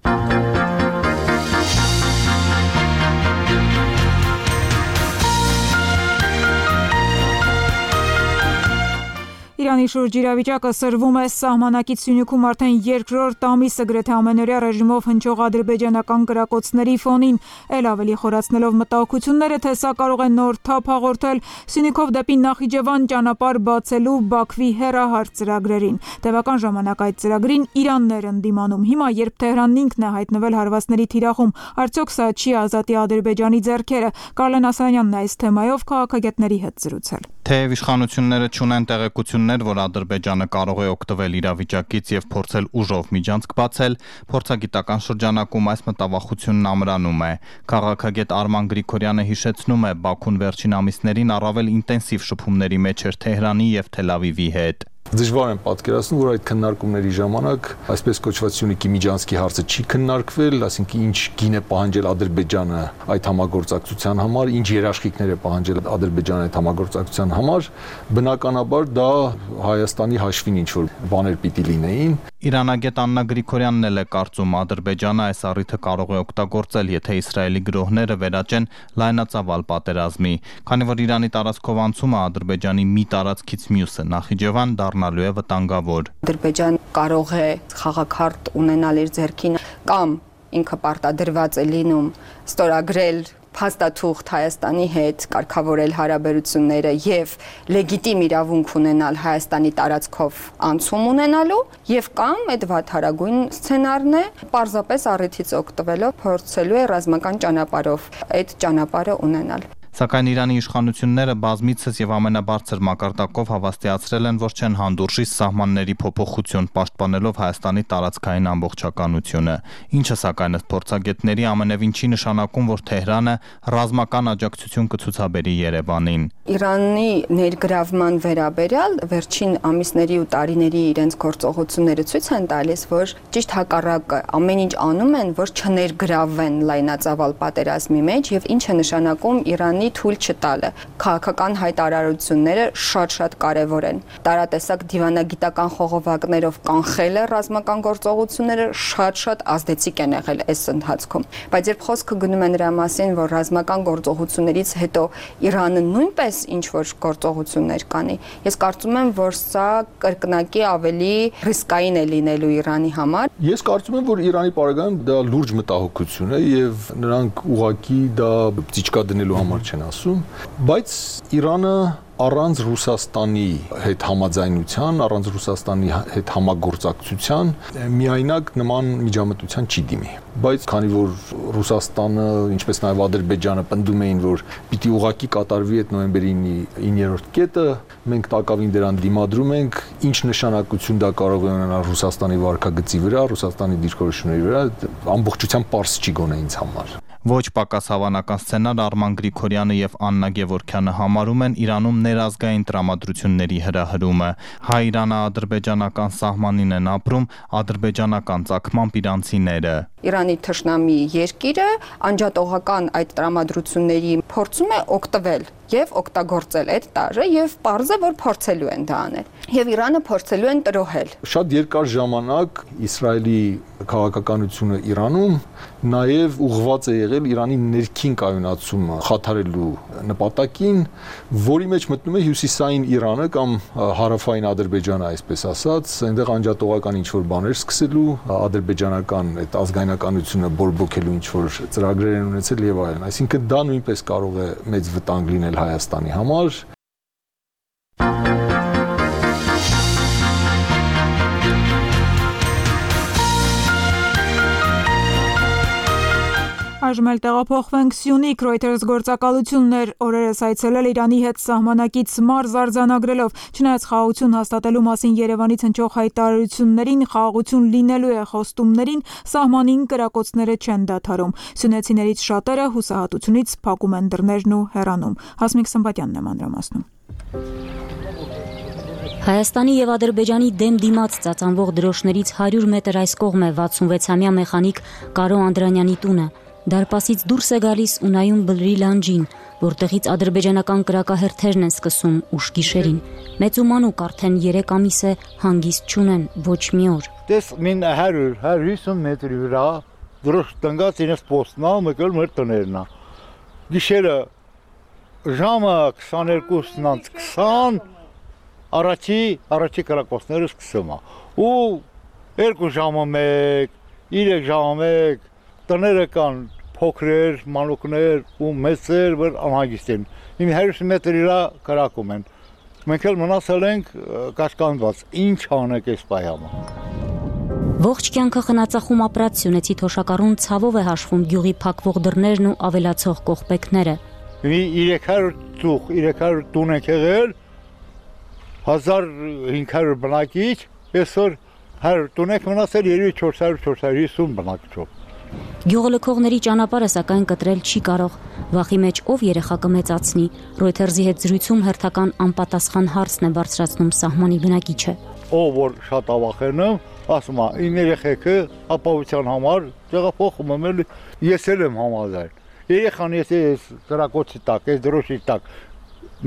Իրանի շուրջ իրավիճակը սրվում է սահմանակից Սյունիքում արդեն երկրորդ ամիսը գրեթե ամենօրյա ռեժիմով հնչող ադրբեջանական կրակոցների ֆոնին, ել ավելի խորացնելով մտահոգությունները, թե սա կարող է նոր թափ հաղորդել Սյունիքով դեպի Նախիջևան ճանապարհ բացելու Բաքվի հեռահար ծրագրերին։ Տևական ժամանակ այդ ծրագրին Իրանն էր ընդդիմանում։ Հիմա, երբ Թեհրանն ինքն է հայտնվել հարվածների թիրախում, արդյոք սա չի ազատի Ադրբեջանի ձեռքերը։ Կարլեն Ասայանյանն այս թեմայով քաղաքագետների հետ զրուցել։ Թեև իշխանությունները չունեն տեղեկություններ, որ Ադրբեջանը կարող է օգտվել իրավիճակից եւ փորձել ուժով միջանցք բացել, փորձագիտական շրջանակում այս մտավախությունն ամրանում է։ Քաղաքագետ Արման Գրիգորյանը հիշեցնում է, Բաքուն վերջին ամիսներին առավել ինտենսիվ շփումների մեջ էր Թեհրանի եւ Թել Ավիվի հետ։ Դժվար եմ պատկերացնում, որ այդ քննարկումների ժամանակ այսպես կոչված Սյունիքի միջանցքի հարցը չի քննարկվել, ասինքն ինչ գին է պահանջել Ադրբեջանը այդ համագործակցության համար, ինչ երաշխիքներ է պահանջել Ադրբեջանը այդ համագործակցության համար, բնականաբար դա Հայաստանի հաշվին ինչ որ բաներ պիտի լինեին։ Իրանագետ Աննա Գրիգորյանն էլ է կարծում, Ադրբեջանը այս առիթը կարող է օգտագործել, եթե Իսրայելի գրոհները վերաճեն լայնածավալ պատերազմի, քանի որ Իրանի տարածքով անցումը Ադրբեջանի մի տարածքից մյուսը Նախիջևան դառնալու է վտանգավոր։ Ադրբեջան կարող է խաղաքարտ ունենալ իր ձեռքին կամ ինքը պարտադրված է լինում ստորագրել փաստաթուղթ Հայաստանի հետ, կարգավորել հարաբերությունները եւ լեգիտիմ իրավունք ունենալ Հայաստանի տարածքով անցում ունենալու եւ կամ այդ վատթարագույն սցենարն է պարզապես առիթից օգտվելով փորձելու է ռազմական ճանապարհով այդ ճանապարհը ունենալ։ Սակայն Իրանի իշխանությունները բազմիցս եւ ամենաբարձր մակարդակով հավաստիացրել են, որ չեն հանդուրժի սահմանների փոփոխություն, պաշտպանելով Հայաստանի տարածքային ամբողջականությունը, ինչը սակայն ըստ փորձագետների ամենևին չի նշանակում, որ Թեհրանը ռազմական աջակցություն կցուցաբերի Երևանին։ Իրանի ներգրավման վերաբերյալ վերջին ամիսների ու տարիների իրենց գործողությունները ցույց են տալիս, որ ճիշտ հակառակը ամեն ինչ անում են, որ չներգրավվեն լայնածավալ պատերազմի մեջ եւ ինչ է նշանակում Իրանի թույլ չտալը։ Քաղաքական հայտարարությունները շատ կարեւոր են։ Տարատեսակ դիվանագիտական խողովակներով կանխելը ռազմական գործողությունները շատ ազդեցիկ են եղել այս ընթացքում։ Բայց երբ խոսքը գնում է նրա մասին, որ ռազմական գործողություններից հետո Իրանը նույնպես ինչ որ գործողություններ կանի, ես կարծում եմ, որ սա կրկնակի ավելի ռիսկային է լինելու Իրանի համար։ Ես կարծում եմ, որ Իրանի պարագայում դա լուրջ մտահոգություն է եւ նրանք ուղղակի դա ծիճկա դնելու համար չեն ասում, բայց Իրանը առանց Ռուսաստանի հետ համաձայնության, առանց Ռուսաստանի հետ համագործակցության միայնակ նման միջամտության չի դիմի։ Բայց քանի որ Ռուսաստանը, ինչպես նաև Ադրբեջանը պնդում էին, որ պիտի ուղղակի կատարվի այդ նոյեմբերի 9-րդ կետը, մենք տակավին դրան դիմադրում ենք, ինչ նշանակություն դա կարող է ունենալ Ռուսաստանի վարքագծի վրա, Ռուսաստանի դիրքորոշումների վրա, ամբողջությամբ պարզ չի գոնե ինձ համար։ Ոչ պակաս հավանական սցենար Արման Գրիգորյանը եւ Աննա Գևորգյանը համարում են Իրանում ներազգային տրամադրությունների հրահրումը։ Հայ-իրանա-ադրբեջանական սահմանին են ապրում ադրբեջանական ծագմամբ իրանցիները։ Իրանի թշնամի երկիրը անջատողական այդ տրամադրությունների փորձում է օգտվել եւ օգտագործել այդ տարը եւ պարզ է, որ փորձելու են դա անել։ Եվ Իրանը փորձելու են տրոհել։ Շատ երկար ժամանակ Իսրայելի քաղաքականությունը Իրանում նաև ուղղված է եղել Իրանի ներքին կայունացումը խաթարելու նպատակին, որի մեջ մտնում է հյուսիսային Իրանը կամ հարավային Ադրբեջանը, այսպես ասած, այնտեղ անջատողական ինչ-որ բաներ սկսելու, ադրբեջանական այդ ազգայնականությունը բորբոքելու ինչ-որ ծրագրեր են ունեցել եւ այլն։ Այսինքն դա նույնպես կարող է մեծ վտանգ լինել Հայաստանի համար։ Այժմ էլ տեղափոխվենք Սյունիք, Reuters գործակալություններ օրերս այցելել Իրանի հետ սահմանակից մարզ արձանագրելով, չնայած խաղաղություն հաստատելու մասին Երևանից հնչող հայտարարություններին, խաղաղություն լինելու է խոստումներին, սահմանին կրակոցները չեն դադարում։ Սյունեցիներից շատերը հուսահատությունից փակում են դռներն ու հեռանում։ Հասմիկ Սմբատյանն է մանրամասնում։ Հայաստանի եւ Ադրբեջանի դեմ դիմաց ծածանվող դրոշներից 100 մետր այս կողմ է 66-ամյա մեխանիկ Կարո Անդրանյանի տունը։ Դարպասից դուրս է գալիս ու նայում բլրի լանջին, որտեղից ադրբեջանական կրակահերթերն են սկսում ուշ գիշերին։ Մեծ ու մանուկ արդեն 3 ամիս է հանգիստ չունեն ոչ մի օր։ Դες մին 100-150 մետրի վրա դրոշ տնկած ինձ պոստնա մեկել մեր տներնա։ Գիշերը ժամը 22:20 առաջի կրակոցները սկսում է։ Ու 2 ժամը 1, 3 ժամը 1 տները կան փոքրեր, մանուկներ ու մեծեր, որ անհագիստ են։ Իմ 100 մետրի վրա կրակում են։ Մենք էլ մնացել ենք կաշկանդված։ Ինչ անենք այս պայամը։ Ողջ կյանքը խնածախում ապրած սյունեցի թոշակառուն ցավով է հաշվում գյուղի փակվող դռներն ու ավելացող կողպեքները։ 300 տուն ենք եղել, 1500 բնակիչ, այսօր 100 տուն ենք մնացել 400-450 բնակչով։ Գյուղը լքողների ճանապարհը սակայն կտրել չի կարող։ Վախի մեջ ով երեխա կմեծացնի։ Reuters-ի հետ զրույցում հերթական անպատասխան հարցն է բարձրացնում սահմանի բնակիչը։ Ով որ շատ ավախենում, ասում է, իմ երեխեքը ապահովության համար տեղափոխում եմ, ես էլ եմ համաձայն։ Երեխան եթե կրակոցի տակ, այս դրոշի տակ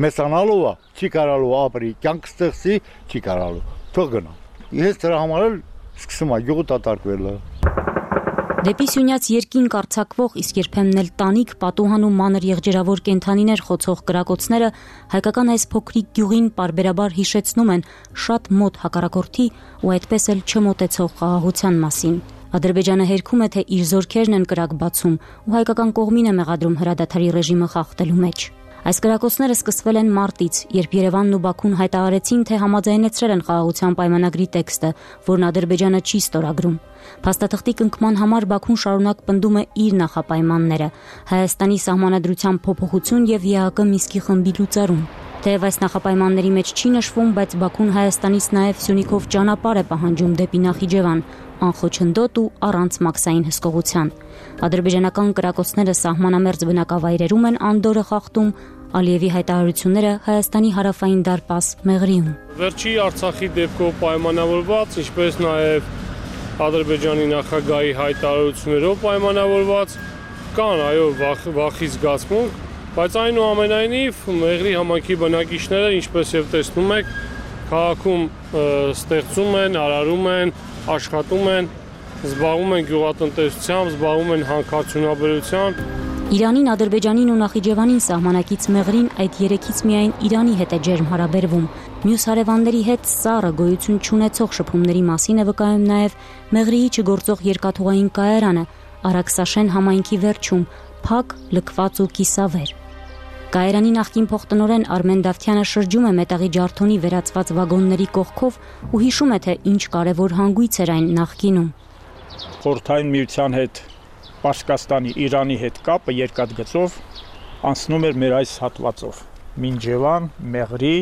մեծանալու է, չի կարալու ապրի, կյանք ստեղծի, չի կարալու։ Թող գնա։ Ես դրա համար էլ սկսում եմ գյուղը դատարկվելը։ Դեպի Սյունյաց երկին կարծակվող, իսկ երբեմն էլ տանիք, պատուհան ու մանր եղջերավոր կենդանիներ խոցող կրակոցները հայկական այս փոքրիկ գյուղին պարբերաբար հիշեցնում են շատ մոտ հակառակորդի ու այդպես էլ չմոտեցող խաղաղության մասին։ Ադրբեջանը հերքում է, թե իր զորքերն են կրակ բացում ու հայկական կողմին է մեղադրում հրադադարի ռեժիմը խախտելու մեջ։ Այս կրակոցները սկսվել են մարտից, երբ Երևանն ու Բաքուն հայտարարեցին, թե համաձայնեցրել են խաղաղության պայմանագրի տեքստը, որն Ադրբեջանը չի ստորագրում։ Փաստաթղթի կնքման համար Բաքուն շարունակ պնդում է իր նախապայմանները՝ Հայաստանի սահմանադրության փոփոխություն եւ ԵԱԿ Մինսկի խմբի լուծարում։ Թեև այս նախապայմանների մեջ չի նշվում, բայց Բաքուն Հայաստանից նաև Սյունիքով ճանապարհ է պահանջում դեպի Նախիջևան, անխոչնդոտ ու առանց մաքսային հսկողության։ Ադրբեջանական կրակոցները սահմանամերձ բնակավայրերում են անդորը խախտում, Ալիևի հայտարարությունները Հայաստանի հարավային դարպաս Մեղրիում։ Վերջի Արցախի դեպքով պայմանավորված, ինչպես նաև Ադրբեջանի նախագահի հայտարարություններով պայմանավորված կան վախի զգացմունք, բայց այնուամենայնիվ Մեղրի համայնքի բնակիչները, ինչպես եւ տեսնում եք, քաղաքում ստեղծում են, արարում են, աշխատում են, զբաղվում են գյուղատնտեսությամբ, զբաղվում են հանքարդյունաբերությամբ։ Իրանին, Ադրբեջանին ու Նախիջևանին սահմանակից Մեղրին այդ երեքից միայն Իրանի հետ է ջերմ հարաբերվում։ Մյուս հարևանների հետ սառը գոյություն չունեցող շփումների մասին է վկայում նաև Մեղրիի չգործող երկաթուղային կայարանը Արաքսաշեն համայնքի վերջում, փակ, լքված ու կիսավեր։ Կայարանի նախկին փոխտնօրեն Արմեն Դավթյանը շրջում է մետաղի ջարդոնի վերածված վագոնների կողքով ու հիշում է, թե ինչ կարևոր հանգույց էր այն նախկինում։ Խորհրդային միության հետ Պարսկաստանի, Իրանի հետ կապը երկաթգծով անցնում էր մեր այս հատվածով՝ Մինջևան, Մեղրի,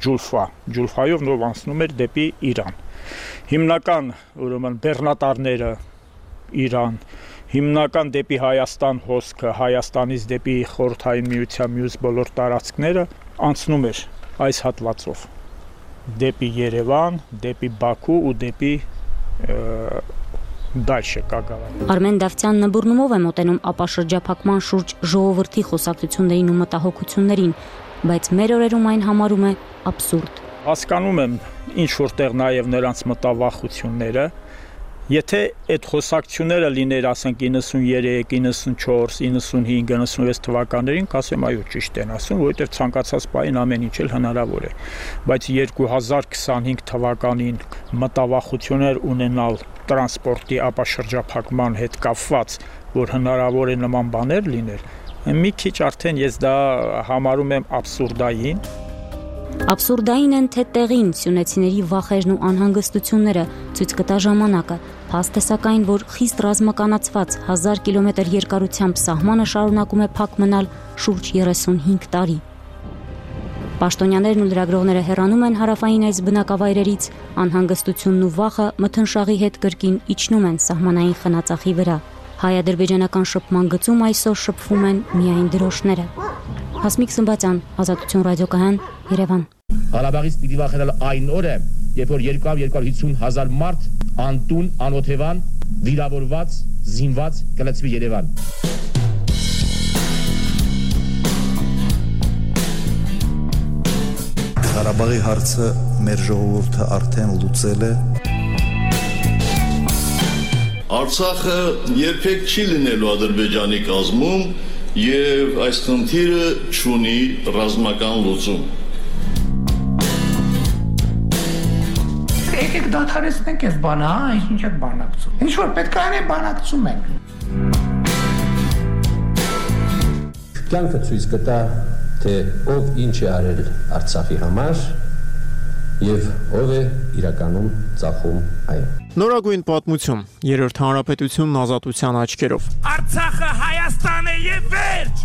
Ջուլֆա։ Ջուլֆայով նոր անցնում էր դեպի Իրան։ Հիմնական, ուրեմն բեռնատարները Իրան, հիմնական դեպի Հայաստան հոսքը, Հայաստանից դեպի Խորհրդային միության մյուս բոլոր տարածքները անցնում էր այս հատվածով՝ դեպի Երևան, դեպի Բաքու ու դեպի դальше կագավան։ Արմեն Դավթյանն նբուրնումով է մոտենում ապաշրջափակման շուրջ ժողովրդի խոսակցություններին ու մտահոգություններին, բայց մեր օրերում այն համարում է աբսուրդ։ Հասկանում եմ ինչ որտեղ նաև նրանց մտավախությունները, եթե այդ խոսակցությունները լիներ, ասենք 93, 94, 95, 96 թվականներին, կասեմ այո, ճիշտ են ասում, որովհետև ցանկացած պահին ամեն ինչ էլ հնարավոր է, բայց 2025 թվականին մտավախություններ ունենալ տրանսպորտի ապաշրջափակման հետ կապված, որ հնարավոր է նման բաներ լինել, մի քիչ արդեն ես դա համարում եմ աբսուրդային։ Աբսուրդային են թե տեղին սյունեցիների վախերն ու անհանգստությունները ցույց կտա ժամանակը, փաստ է սակայն, որ խիստ ռազմականացված 1000 կիլոմետր երկարությամբ սահմանը շարունակում է փակ մնալ շուրջ 35 տարի։ Պաշտոնյաներն ու լրագրողները հեռանում են հարավային այս բնակավայրերից, անհանգստությունն ու վախը մթնշաղի հետ կրկին իջնում են սահմանային խնածախի վրա։ Հայ-ադրբեջանական շփման գծում այսօր շփվում են միայն դրոշները։ Հասմիկ Սմբատյան, Ազատություն ռադիոկայան, Երևան։ Ղարաբաղից պիտի վախենալ այն օրը, երբ որ 250 հազար մարդ անտուն, անօթևան, վիրավորված, զինված կլցվի Երևան։ Ղարաբաղի հարցը մեր ժողովուրդը արդեն լուծել է։ Արցախը երբեք չի լինելու Ադրբեջանի կազմում եւ այս խնդիրը չունի ռազմական լուծում։ Եկեք դադարեցնենք այս բանը, ինչ եք բանակցում։ Ինչ որ պետք է անենք, բանակցում ենք։ Կյանքը ցույց կտա, թե ով ինչ է արել Արցախի համար եւ ով է իրականում ծախում այն։ Նորագույն պատմություն, երրորդ հանրապետությունն ազատության աչքերով։ Արցախը Հայաստան է եւ վերջ։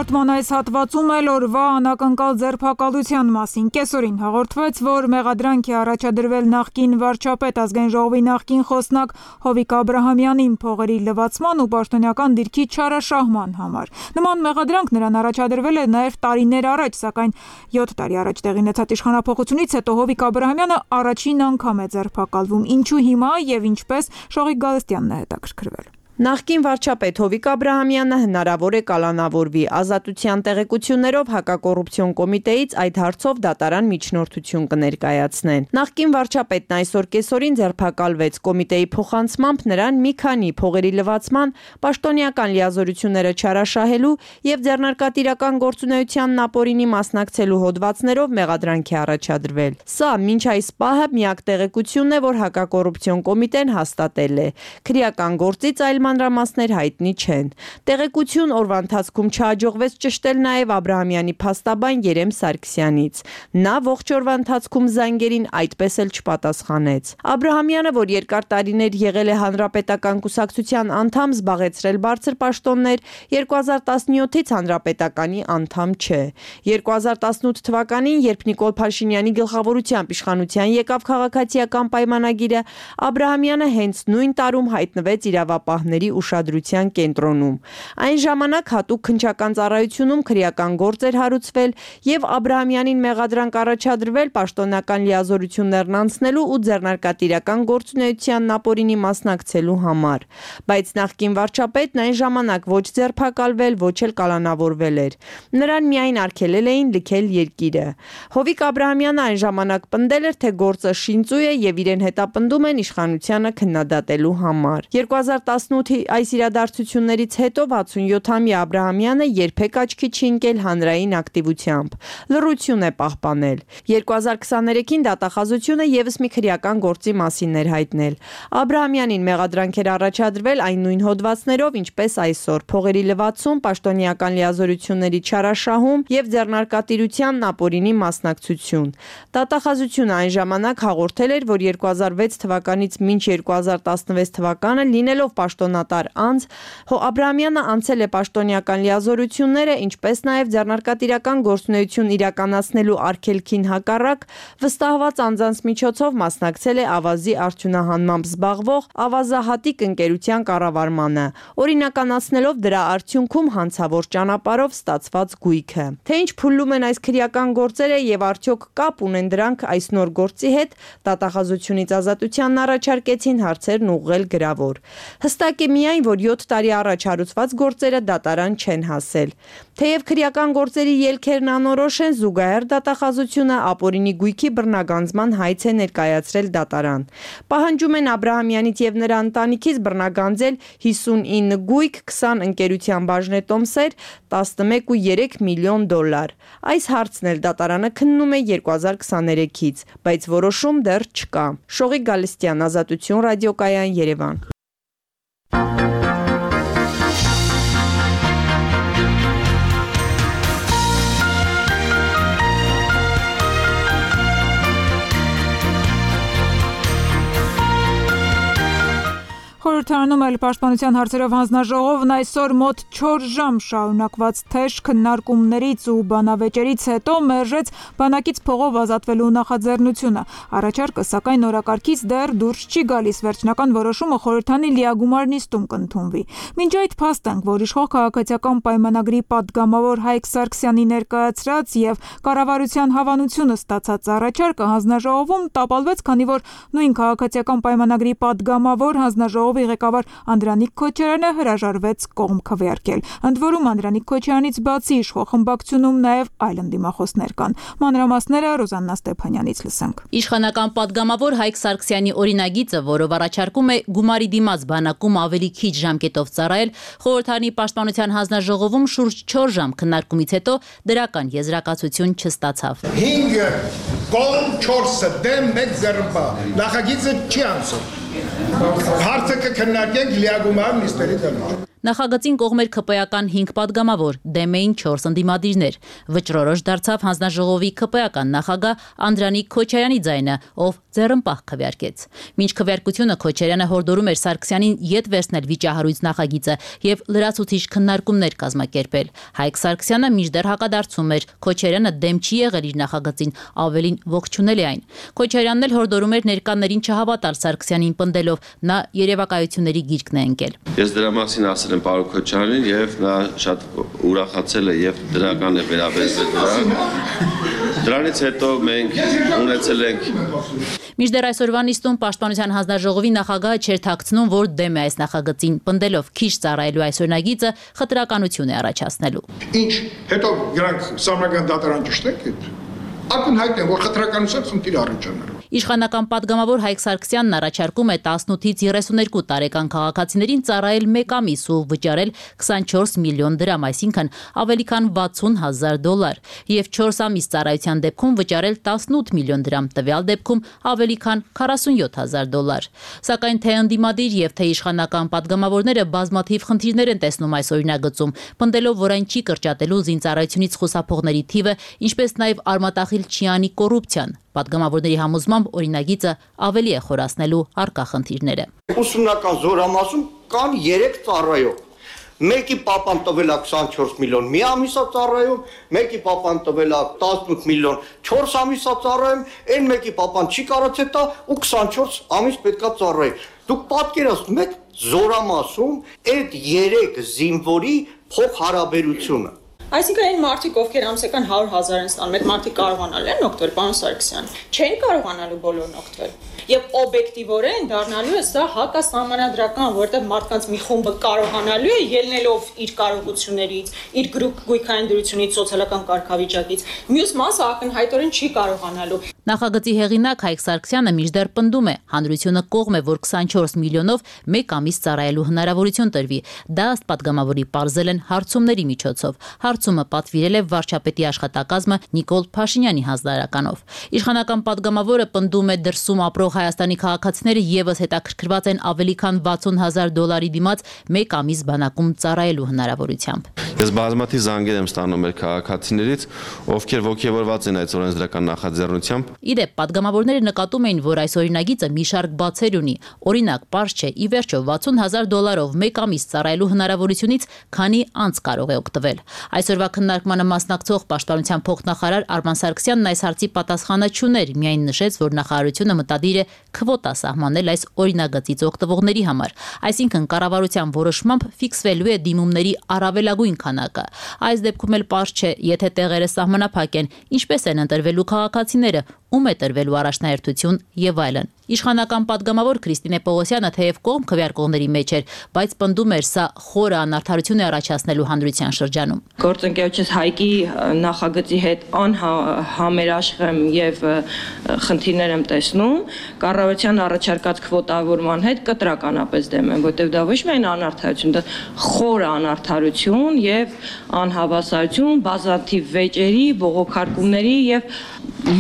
Հաղորդման այս հատվածում էլ օրվա անակնկալ ձերբակալության մասին կեսօրին հաղորդվեց, որ մեղադրանք է առաջադրվել նախկին վարչապետ Ազգային ժողովի նախկին խոսնակ Հովիկ Աբրահամյանին փողերի լվացման ու պաշտոնյական դիրքի չարաշահման համար։ Նման մեղադրանք նրան առաջադրվել է նաև տարիներ առաջ, սակայն 7 տարի առաջ տեղի ունեցած իշխանափոխությունից հետո Հովիկ Աբրահամյանը առաջին անգամ է ձերբակալվում։ Ինչու հիմա եւ ինչպես Շողիկ Գալստյանն է հետաքրքրվել։ Նախկին վարչապետ Հովիկ Աբրահամյանը հնարավոր է կալանավորվի։ Ազատության տեղեկություններով հակակոռուպցիոն կոմիտեից այդ հարցով դատարան միջնորդություն կներկայացնեն։ Նախկին վարչապետն այսօր կեսօրին ձերբակալվեց։ Կոմիտեի փոխանցմամբ նրան մի քանի փողերի լվացման, պաշտոնյական լիազորությունները չարաշահելու եւ ձեռնարկատիրական գործունեությանն ապօրինի մասնակցելու հոդվածներով մեղադրանք է առաջադրվել։ Սա մինչ այս պահը միակ տեղեկությունն է, որ հակակոռուպցիոն կոմիտեն հաստատել է։ Քրեական գործից այլ մանրամասներ հայտնի չեն։ Տեղեկություն օրվա ընթացքում չհաջողվեց ճշտել նաև Աբրահամյանի փաստաբան Երեմ Սարգսյանից։ Նա ողջ օրվա ընթացքում զանգերին այդպես էլ չպատասխանեց։ Աբրահամյանը, որ երկար տարիներ եղել է Հանրապետական կուսակցության անդամ, զբաղեցրել բարձր պաշտոններ, 2017-ից Հանրապետականի անդամ չէ։ 2018 թվականին, երբ Նիկոլ Փաշինյանի գլխավորությամբ իշխանության եկավ քաղաքացիական պայմանագիրը, Աբրահամյանը հենց նույն տարում հայտնվեց իրավապահների ուշադրության կենտրոնում։ Այն ժամանակ հատուկ քննչական ծառայությունում քրեական գործ էր հարուցվել եւ Աբրահամյանին մեղադրանք առաջադրվել պաշտոնական լիազորություններն անցնելու ու ձեռնարկատիրական գործունեությանն ապօրինի մասնակցելու համար։ Բայց նախկին վարչապետն այն ժամանակ ոչ ձերբակալվել, ոչ էլ կալանավորվել էր։ Նրան միայն արգելել էին լքել երկիրը։ Հովիկ Աբրահամյանը այն ժամանակ պնդել էր, թե գործը շինծու է եւ իրեն հետապնդում են իշխանությանը քննադատելու համար։ 2018-ի այս իրադարձություններից հետո 67-ամյա Աբրահամյանը երբեք աչքի չի ընկել հանրային ակտիվությամբ։ Լռություն է պահպանել։ 2023-ին դատախազությունը եւս մի քրեական գործի մասին էր հայտնել։ Աբրահամյանին մեղադրանք էր առաջադրվել այն նույն հոդվածներով, ինչպես այսօր՝ փողերի լվացում, պաշտոնյական լիազորությունների չարաշահում եւ ձեռնարկատիրությանն ապօրինի մասնակցություն։ Դատախազությունը այն ժամանակ հաղորդել էր, որ 2006 թվականից մինչ 2016 թվականը լինելով պաշտոնատար անձ, Աբրահամյանը անցել է պաշտոնյական լիազորությունները, ինչպես նաև ձեռնարկատիրական գործունեություն իրականացնելու արգելքին հակառակ, վստահված անձանց միջոցով մասնակցել է ավազի արդյունահանմամբ զբաղվող ավազահատիկ ընկերության կառավարմանը, օրինականացնելով դրա արդյունքում հանցավոր ճանապարհով ստացված գույքը։ Թե ինչ փուլում են այս քրեական գործերը եւ արդյոք կապ ունեն դրանք այս նոր գործի հետ, դատախազությունից ազատությանն առաջարկեցին հարցերն ուղղել գրավոր։ Հստակ է միայն, որ 7 տարի առաջ հարուցված գործերը դատարան չեն հասել։ Թեև քրեական գործերի ելքերն անորոշ են, զուգահեռ դատախազությունը ապօրինի գույքի բռնագանձման հայց է ներկայացրել դատարան։ Պահանջում են Աբրահամյանից եւ նրա ընտանիքից բռնագանձել 59 գույք, 20 ընկերության բաժնետոմսեր, 11.3 միլիոն $։ Այս հարցն էլ դատարանը քննում է 2023-ից, բայց որոշում դեռ չկա։ Շողիկ Գալստյան, Ազատություն ռադիոկայան, Երևան։ Խորհրդարանում էլ պաշտպանության հարցերով հանձնաժողովն այսօր մոտ 4 ժամ շարունակված թեժ քննարկումներից ու բանավեճերից հետո մերժեց բանակից փողով ազատվելու նախաձեռնությունը։ Առաջարկը սակայն օրակարգից դեռ դուրս չի գալիս, վերջնական որոշումը խորհրդանի լիագումար նիստում կընդունվի։ Մինչ այդ փաստենք, որ իշխող քաղաքացիական պայմանագրի պատգամավոր Հայկ Սարգսյանի ներկայացրած եւ կառավարության հավանությունը ստացած առաջարկը հանձնաժողովում տապալվեց, քանի որ նույն քաղաքացիական պայմանագրի պատգամավոր հանձնաժողովի ղեկավար Անդրանիկ Քոչարյանը հրաժարվեց կողմ քվեարկել։ Ընդ որում Անդրանիկ Քոչարյանից բացի իշխող խմբակցությունում նաև այլ ընդդիմախոսներ կան։ Մանրամասները Ռոզաննա Ստեփանյանից լսենք։ Իշխանական պատգամավոր Հայկ Սարգսյանի օրինագիծը, որով առաջարկում է գումարի դիմաց բանակում ավելի քիչ ժամկետով ծառայել, խորհրդարանի պաշտպանության հանձնաժողովում շուրջ 4 ժամ քննարկումից հետո դրական եզրակացություն չստացավ։ 5 կողմ 4 դեմ 1 ձեռնպա։ Նախագիծը չի անցել։ Հարցը կքննարկենք լիագումար նիստերի դեմ։ Նախագծին կողմեր ԿՊ-ական 5 պատգամավոր, դեմ էին 4 ընդդիմադիրներ։ Վճռորոշ դարձավ հանձնաժողովի ԿՊ-ական նախագահ Անդրանիկ Քոչարյանի ձայնը, ով ձեռնպահ քվեարկեց։ Մինչ քվեարկությունը Քոչարյանը հորդորում էր Սարգսյանին ետ վերցնել վիճահարույց նախագիծը եւ լրացուցիչ քննարկումներ կազմակերպել։ Հայկ Սարգսյանը մինչդեռ հակադարձում էր, Քոչարյանը դեմ չի եղել իր նախագծին, ավելին ողջունել է այն։ Քոչարյանն էլ հորդորում էր ներկաներին չհավատալ Սարգսյանին պնդելով, նա երևակայությունների գիրկն է ընկել։ Ես դրա մասին ասել եմ պարոն Քոչարյանին եւ նա շատ ուրախացել է եւ դրական է վերաբերվել դրան։ Դրանից հետո մենք ունեցել ենք Մինչդեռ այսօրվա նիստում Պաշտպանության հանձնաժողովի նախագահը չէր թաքցնում, որ դեմ է այս նախագծին, պնդելով քիչ ծառայելու այս օրինագիծը խտրականություն է առաջացնելու։ Ինչ հետո գրանք սահմանական դատարան ճշտեք, ակնհայտ է, որ խտրականության խնդիր առաջանալու։ Իշխանական падգամավոր Հայկ Սարգսյանն առաջարկում է 18-ից 32 տարեկան քաղաքացիներին ծառայել 1 ամիս ու վճարել 24 միլիոն դրամ, այսինքն ավելի քան $60,000, եւ 4 ամիս ծառայության դեպքում վճարել 18 միլիոն դրամ, տվյալ դեպքում ավելի քան $47,000։ Սակայն թե ընդդիմադիր եւ թե իշխանական падգամավորները բազմաթիվ խնդիրներ են տեսնում այս օրինագծում, պնդելով, որ այն չի կրճատելու զինծառայությունից խուսափողների թիվը, ինչպես նաեւ արմատախիլ չի անի կոռուպցիան։ Պատգամավորների համոզմամբ օրինագիծը ավելի է խորացնելու առկա խնդիրները։ Ուսումնական զորամասում կան 3 ծառայող։ Մեկի պապան տվել է 24 միլիոն մի ամիսա ծառայում, մեկի պապան տվել է 18 միլիոն 4 ամիսա ծառայում, այն մեկի պապան չի կարողացել տա ու 24 ամիս պետքա ծառայի։ Դուք պատկերացնում եք զորամասում այդ 3 զինվորի փոխհարաբերությունը։ Այսինքն այն մարդիկ, ովքեր ամսական 100,000 են ստանում, այդ մարդիկ կարողանալու են օգտվել, պարոն Սարգսյան։ Չեն կարողանալու բոլորն օգտվել։ Եվ օբյեկտիվորեն դառնալու է սա հակասահմանադրական, որտեղ մարդկանց մի խումբը կարողանալու է ելնելով իր կարողություններից, իր գույքային դրությունից, սոցիալական կարգավիճակից, մյուս մասը ակնհայտորեն չի կարողանալու։ Նախագծի հեղինակ Հայկ Սարգսյանը մինչդեռ պնդում է, հանրությունը կողմ է, որ 24 միլիոնով 1 ամիս ծառայելու հնարավորություն տրվի։ Դա ըստ падգամավորի պարզել են հարցումների միջոցով։ Հարցումը պատվիրել է վարչապետի աշխատակազմը Նիկոլ Փաշինյանի հանձնարարականով։ Իշխանական падգամավորը պնդում է դրսում ապրող Հայաստանի քաղաքացիները եւս հետաքրքրված են ավելի քան $60,000 դիմաց 1 ամիս բանակում ծառայելու հնարավորությամբ։ Ես բազմաթիվ զանգեր եմ ստանում մեր քաղաքացիներից, ովքեր ողջևորված են այս օրենսդրական նախաձեռնությամբ։ Իդեպ падգամավորները նկատում էին, որ այս օրինագիծը մի շարք բացեր ունի։ Օրինակ, պարզ չէ, ի վերջո $60,000 1 ամիս ծառայելու հնարավորությունից քանի անց կարող է օգտվել։ Այսօրվա քննարկմանը մասնակցող Պաշտպանության փոխնախարար Արման Սարգսյանն այս հարցի պատասխանը չուներ, միայն նշեց, որ նախարարությունը մտադիր է քվոտա սահմանել այս օրինագծից օգտվողների համար, այսինքն կառավարության որոշմամբ ֆիքսվելու է դիմումների առավելագույն քանակը։ Այս դեպքում էլ պարզ չէ, եթե տեղերը սահմանափակ են, ինչպես են ընտրվելու քաղաքացիները, ում է տրվելու առաջնահերթություն եւ այլն։ Իշխանական падգամավոր Քրիստինե Պողոսյանը թեև կողմ քվեարկողների մեջ էր, բայց պնդում էր սա խորը անարդարություն է առաջացնելու հանրության շրջանում։ Գործընկերոջս Հայկի նախագծի հետ անհամերաշխեմ եւ խնդիրներ եմ տեսնում, կառավարության առաջարկած քվոտավորման հետ կտրականապես դեմ եմ, որտեղ դա ոչ միայն անարդարություն, դա խորը անարդարություն եւ անհավասարություն, բազմաթիվ վեճերի, բողոքարկումների եւ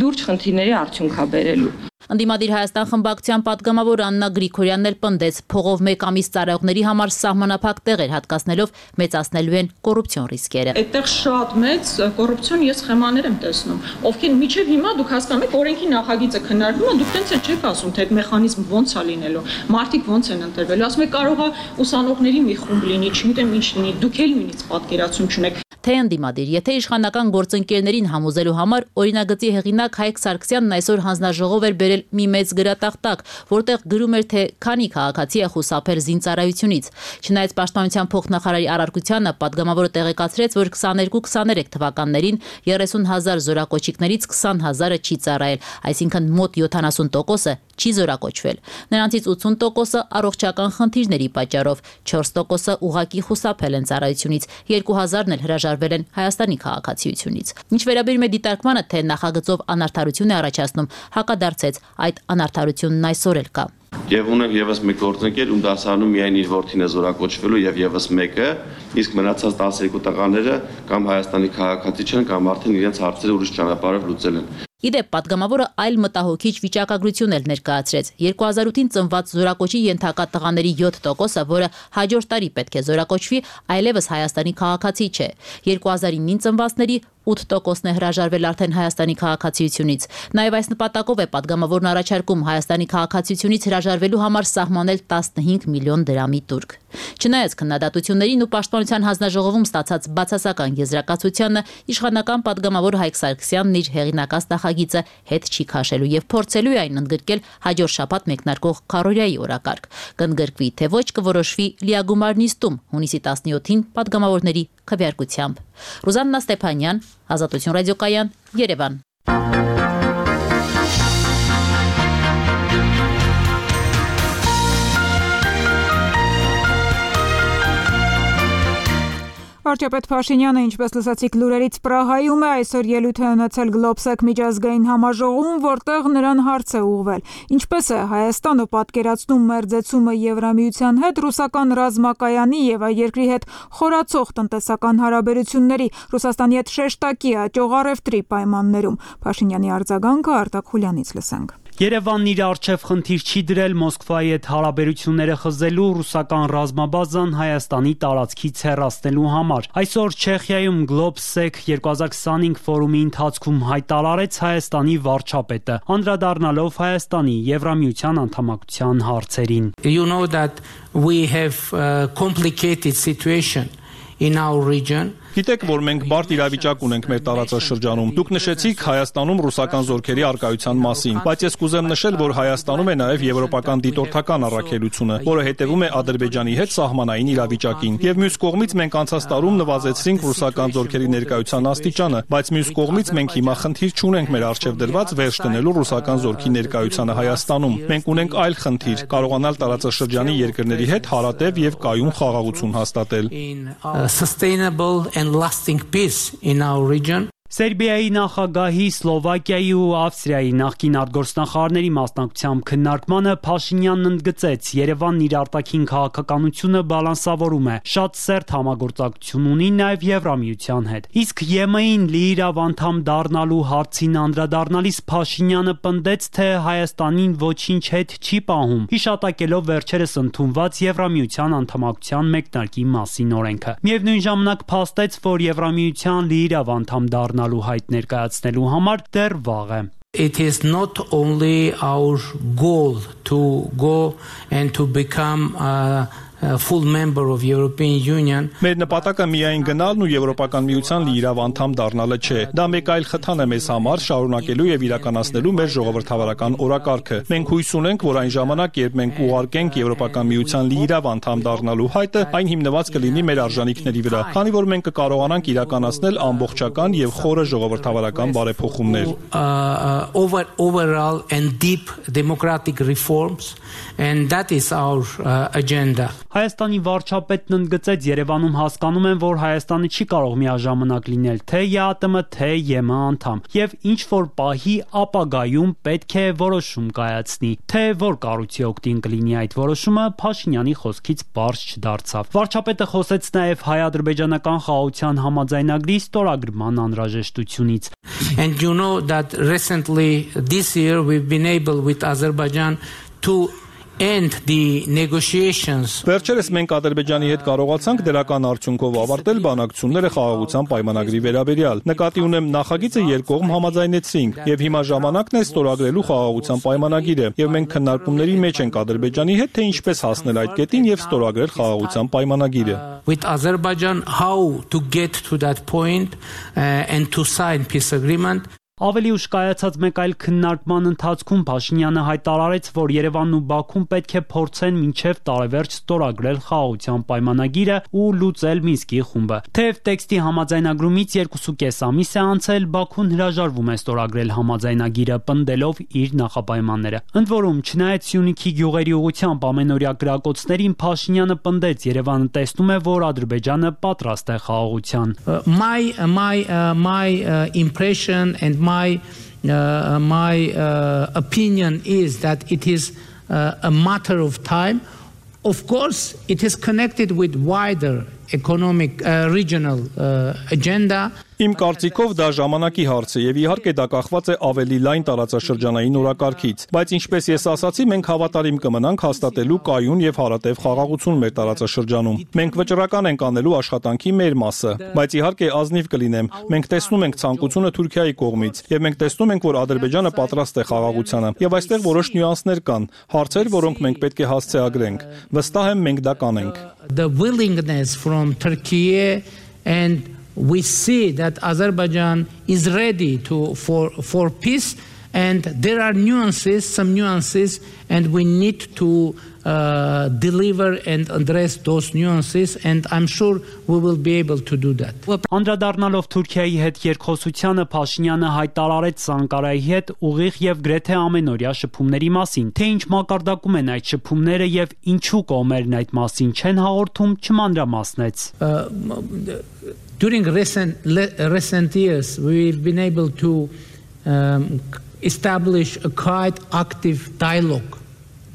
լուրջ խնդիրների արդյունք է բերելու։ Ընդդիմադիր Հայաստան խմբակցության падգամավոր Աննա Գրիգորյանն էլ պնդեց, փողով 1 ամիս ծառայողների համար սահմանափակ տեղեր հատկացնելով մեծացնելու են կոռուպցիոն ռիսկերը։ Այդտեղ շատ մեծ կոռուպցիոն ես սխեմաներ եմ տեսնում, ովքեր միջև հիմա դուք հասկանում եք օրենքի նախագիծը քննարկվում է, դուք տենց չեք ասում, թե այդ մեխանիզմը ոնց է լինելու, մարդիկ ոնց են ընտրվելու, ասում եք կարող է ուսանողների մի խումբ լինի, չգիտեմ ինչ լինի, դուք էլ նույնիսկ պատկերացում չունեք։ Թե ընդդիմադիր, եթե իշխանական գործընկերներին համոզելու համար օրինագծի հեղինակ Հայկ Սարգսյանն այսօր հանձնաժողով էր բերել մի մեծ գրատախտակ, որտեղ գրում էր, թե քանի քաղաքացի է խուսափել զինծառայությունից։ Չնայած Պաշտպանության փոխնախարարի առարկությանը, падգամավորը տեղեկացրեց, որ 22-23 թվականներին 30,000 զորակոչիկներից 20,000-ը չի ծառայել, այսինքն մոտ 70%-ը չի զորակոչվել։ Նրանցից 80%-ը առողջական խնդիրների պատճառով, 4%-ը ուղղակի խուսափել են ծառայությունից, 2,000-ն էլ հրաժարվել են Հայաստանի քաղաքացիությունից։ Ինչ վերաբերում է դիտարկմանը, թե նախագծով անարդարություն է առաջացնում, հակադարձեց, այդ անարդարությունն այսօր էլ կա։ Եվ ունենք եւս մեկ գործընկեր, ում դասարանում միայն իր որդին է զորակոչվելու եւ եւս մեկը, իսկ մնացած 12 տղաները կամ Հայաստանի քաղաքացի չեն, կամ արդեն իրենց հարցերը ուրիշ ճանապարհով լուծել են։ Իդեպ падգամավորը այլ մտահոգիչ վիճակագրություն էլ ներկայացրեց։ 2008-ին ծնված զորակոչի ենթակա տղաների 7%-ը, որը հաջորդ տարի պետք է զորակոչվի, այլևս Հայաստանի քաղաքացի չէ։ 2009-ին ծնվածների 8%-ն է հրաժարվել արդեն Հայաստանի քաղաքացիությունից։ Նաև այս նպատակով է падգամավորն առաջարկում Հայաստանի քաղաքացիությունից հրաժարվելու համար սահմանել 15 միլիոն դրամի տուրք։ Չնայած քննադատություններին ու Պաշտպանության հանձնաժողովում ստացած բացասական եզրակացությանը, իշխանական падգամավոր Հայկ Սարգսյանն իր հեղինակած նախագիծը հետ չի քաշելու եւ փորձելու է այն ընդգրկել հաջորդ շաբաթ մեկնարկող քարորիայի օրակարգ։ Կընդգրկվի թե ոչ կորոշվի լիագումար նիստում հունիսի 17-ին падգամավորների քվեարկությամբ։ Ռուզաննա Ստեփանյան, Ազատություն ռադիոկայան, Երևան։ Վարչապետ Փաշինյանը, ինչպես լսեցիք լուրերից, Պրահայում է այսօր ելույթ է ունեցել Գլոբսեկ միջազգային համաժողովում, որտեղ նրան հարց է ուղղվել. ինչպես է Հայաստանը պատկերացնում մերձեցումը Եվրամիության հետ, ռուսական ռազմակայանի եւ այդ երկրի հետ խորացող տնտեսական հարաբերությունների, Ռուսաստանի հետ շեշտակի աճող առևտրի պայմաններում։ Փաշինյանի արձագանքը Արտակ Խուլյանից լսենք։ Երևանն իր առջև խնդիր չի դրել Մոսկվայի հետ հարաբերությունները խզելու, ռուսական ռազմաբազան Հայաստանի տարածքից հեռացնելու համար։ Այսօր Չեխիայում Գլոբսեկ 2025 ֆորումի ընթացքում հայտարարեց Հայաստանի վարչապետը, անդրադառնալով Հայաստանի Եվրամիության անդամակցության հարցերին։ You know that we have a complicated situation in our region. Գիտեք, որ մենք բարդ իրավիճակ ունենք մեր տարածաշրջանում։ Դուք նշեցիք Հայաստանում ռուսական զորքերի առկայության մասին, բայց ես կուզեմ նշել, որ Հայաստանում է նաև եվրոպական դիտորդական առաքելությունը, որը հետևում է Ադրբեջանի հետ սահմանային իրավիճակին։ Եվ մյուս կողմից մենք անցած տարում նվազեցրինք ռուսական զորքերի ներկայության աստիճանը, բայց մյուս կողմից մենք հիմա խնդիր չունենք մեր առջև դրված վերջ դնելու ռուսական զորքի ներկայությանը Հայաստանում։ Մենք ունենք այլ խնդիր՝ կարողանալ տարածաշրջանի երկրների հետ հարատև եւ կայուն խաղաղություն հաստատել։ Sustainable and lasting peace in our region. Սերբիայի նախագահի, Սլովակիայի ու Ավստրիայի նախկին արտգործնախարարների մասնակցությամբ քննարկմանը Փաշինյանն ընդգծեց, Երևանն իր արտաքին քաղաքականությունը բալանսավորում է, շատ սերտ համագործակցություն ունի նաև Եվրամիության հետ։ Իսկ ԵՄ-ին լիիրավ անդամ դառնալու հարցին անդրադառնալիս Փաշինյանը պնդեց, թե Հայաստանին ոչինչ հետ չի պահում, հիշատակելով վերջերս ընդունված Եվրամիության անդամակցության մեկնարկի մասին օրենքը։ Միևնույն ժամանակ փաստեց, որ Եվրամիության լիիրավ անդամ դառնալու հայտ ներկայացնելու համար դեռ վաղ է։ It is not only our goal to go and to become a full member of European Union. Մեր նպատակը միայն գնալն ու Եվրոպական միության լիիրավ անդամ դառնալը չէ։ Դա մեկ այլ խթան է մեզ համար շարունակելու եւ իրականացնելու մեր ժողովրդավարական օրակարգը։ Մենք հույս ունենք, որ այն ժամանակ, երբ մենք ուղարկենք Եվրոպական միության լիիրավ անդամ դառնալու հայտը, այն հիմնված կլինի մեր արժանինքների վրա, քանի որ մենք կկարողանանք իրականացնել ամբողջական եւ խորը ժողովրդավարական բարեփոխումներ։ Overall and deep democratic reforms, and that is our agenda. Հայաստանի վարչապետն ընդգծեց, Երևանում հասկանում են, որ Հայաստանը չի կարող միաժամանակ լինել թե ԵԱՏՄ, թե ԵՄ անդամ, եւ ինչ որ պահի ապագայում պետք է որոշում կայացնի, թե որ կառույցի օգտին կլինի այդ որոշումը, Փաշինյանի խոսքից բարձ չդարձավ։ Վարչապետը խոսեց նաեւ հայ-ադրբեջանական խաղաղության համաձայնագրի ստորագրման անհրաժեշտությունից։ And you know that recently this year we've been able with Azerbaijan to end the negotiations. Վերջերս մենք Ադրբեջանի հետ կարողացանք դրական արդյունքով ավարտել բանակցությունները խաղաղության պայմանագրի վերաբերյալ։ Նկատի ունեմ նախագիծը երկկողմ համաձայնեցրինք եւ հիմա ժամանակն է ստորագրելու խաղաղության պայմանագիրը եւ մենք քննարկումների մեջ ենք Ադրբեջանի հետ թե ինչպես հասնել այդ կետին եւ ստորագրել խաղաղության պայմանագիրը։ With Azerbaijan how to get to that point and to sign peace agreement. Ավելի ուշ կայացած մեկ այլ քննարկման ընթացքում Փաշինյանը հայտարարեց, որ Երևանն ու Բաքուն պետք է փորձեն մինչև տարեվերջ ստորագրել խաղաղության պայմանագիրը ու լուծել Մինսկի խումբը։ Թեև տեքստի համաձայնագրումից 2.5 ամիս է անցել, Բաքուն հրաժարվում է ստորագրել համաձայնագիրը, պնդելով իր նախապայմանները։ Ընդ որում, չնայած Սյունիքի գյուղերի ուղղությամբ ամենօրյա գրակոծներին, Փաշինյանը պնդեց, Երևանը տեսնում է, որ Ադրբեջանը պատրաստ է խաղաղության։ My impression and my opinion is that it is a matter of time. Of course, it is connected with wider economic regional agenda. Իմ կարծիքով դա ժամանակի հարց է եւ իհարկե դա կախված է ավելի լայն տարածաշրջանային օրակարգից, բայց ինչպես ես ասացի, մենք հավատարիմ կմնանք հաստատելու կայուն եւ հարատև խաղաղություն մեր տարածաշրջանում։ Մենք վճռական ենք անելու աշխատանքի մեր մասը, բայց իհարկե ազնիվ կլինեմ։ Մենք տեսնում ենք ցանկությունը Թուրքիայի կողմից եւ մենք տեսնում ենք, որ Ադրբեջանը պատրաստ է խաղաղությանը եւ այստեղ որոշ նյուանսներ կան, հարցեր, որոնք մենք պետք է հասցեագրենք։ Վստահ եմ մենք դա կանենք։ The willingness from Turkey and we see that Azerbaijan is ready for peace And there are some nuances, and we need to deliver and address those nuances, and I'm sure we will be able to do that. Անդրադառնալով Թուրքիայի հետ երկխոսությանը Փաշինյանը հայտարարեց Անկարայի հետ ուղիղ եւ գրեթե ամենօրյա շփումների մասին, թե ինչ մակարդակում են այդ շփումները եւ ինչու կողմերն այդ մասին չեն հաղորդում, չմանրամասնեց. During recent years, we've been able to establish a quite active dialogue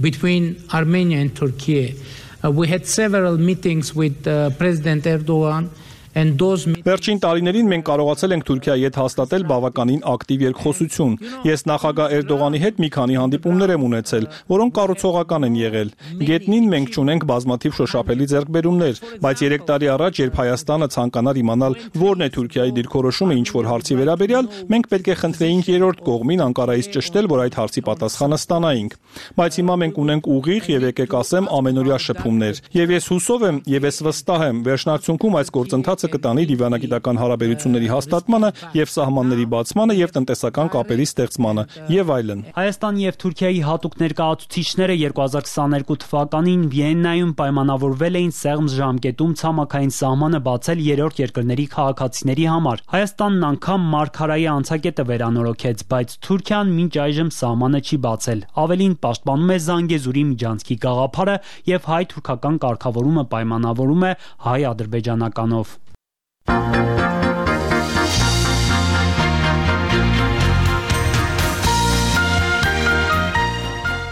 between Armenia and Turkey. We had several meetings with President Erdogan. Վերջին տարիներին մենք կարողացել ենք Թուրքիայի հետ հաստատել բավականին ակտիվ երկխոսություն։ Ես նախագահ Էրդողանի հետ մի քանի հանդիպումներ եմ ունեցել, որոնք կառուցողական են եղել։ Գետնին մենք ունենք բազմաթիվ շոշափելի ձեռքբերումներ, բայց 3 տարի առաջ, երբ Հայաստանը ցանկանար իմանալ որն է Թուրքիայի դիրքորոշումը ինչ-որ հարցի վերաբերյալ, մենք պետք է խնդրեինք երրորդ կողմին Անկարայից ճշտել, որ այդ հարցի պատասխանը ստանայինք։ Բայց հիմա մենք ունենք ուղիղ եւ եկեք ասեմ ամենօրյա շփումներ։ Եվ ես հուսով եմ եւ ես վստահ եմ, վերջնարկությունում այս գործընթացը կտանի դիվանագիտական հարաբերությունների հաստատմանը եւ սահմանների բացմանը եւ տնտեսական կապերի ստեղծմանը եւ այլն։ Հայաստանի եւ Թուրքիայի հատուկ ներկայացուցիչները 2022 թվականին Վիեննայում պայմանավորվել էին սեղմ ժամկետում ցամաքային սահմանը բացել երրորդ երկրների քաղաքացիների համար։ Հայաստանն անգամ Մարգարայի անցակետը վերանորոգեց, բայց Թուրքիան մինչ այժմ սահմանը չի բացել։ Ավելին պաշտպանում է Զանգեզուրի միջանցքի գաղափարը եւ հայ-թուրքական կարգավորումը պայմանավորում է հայ-ադրբեջանականով։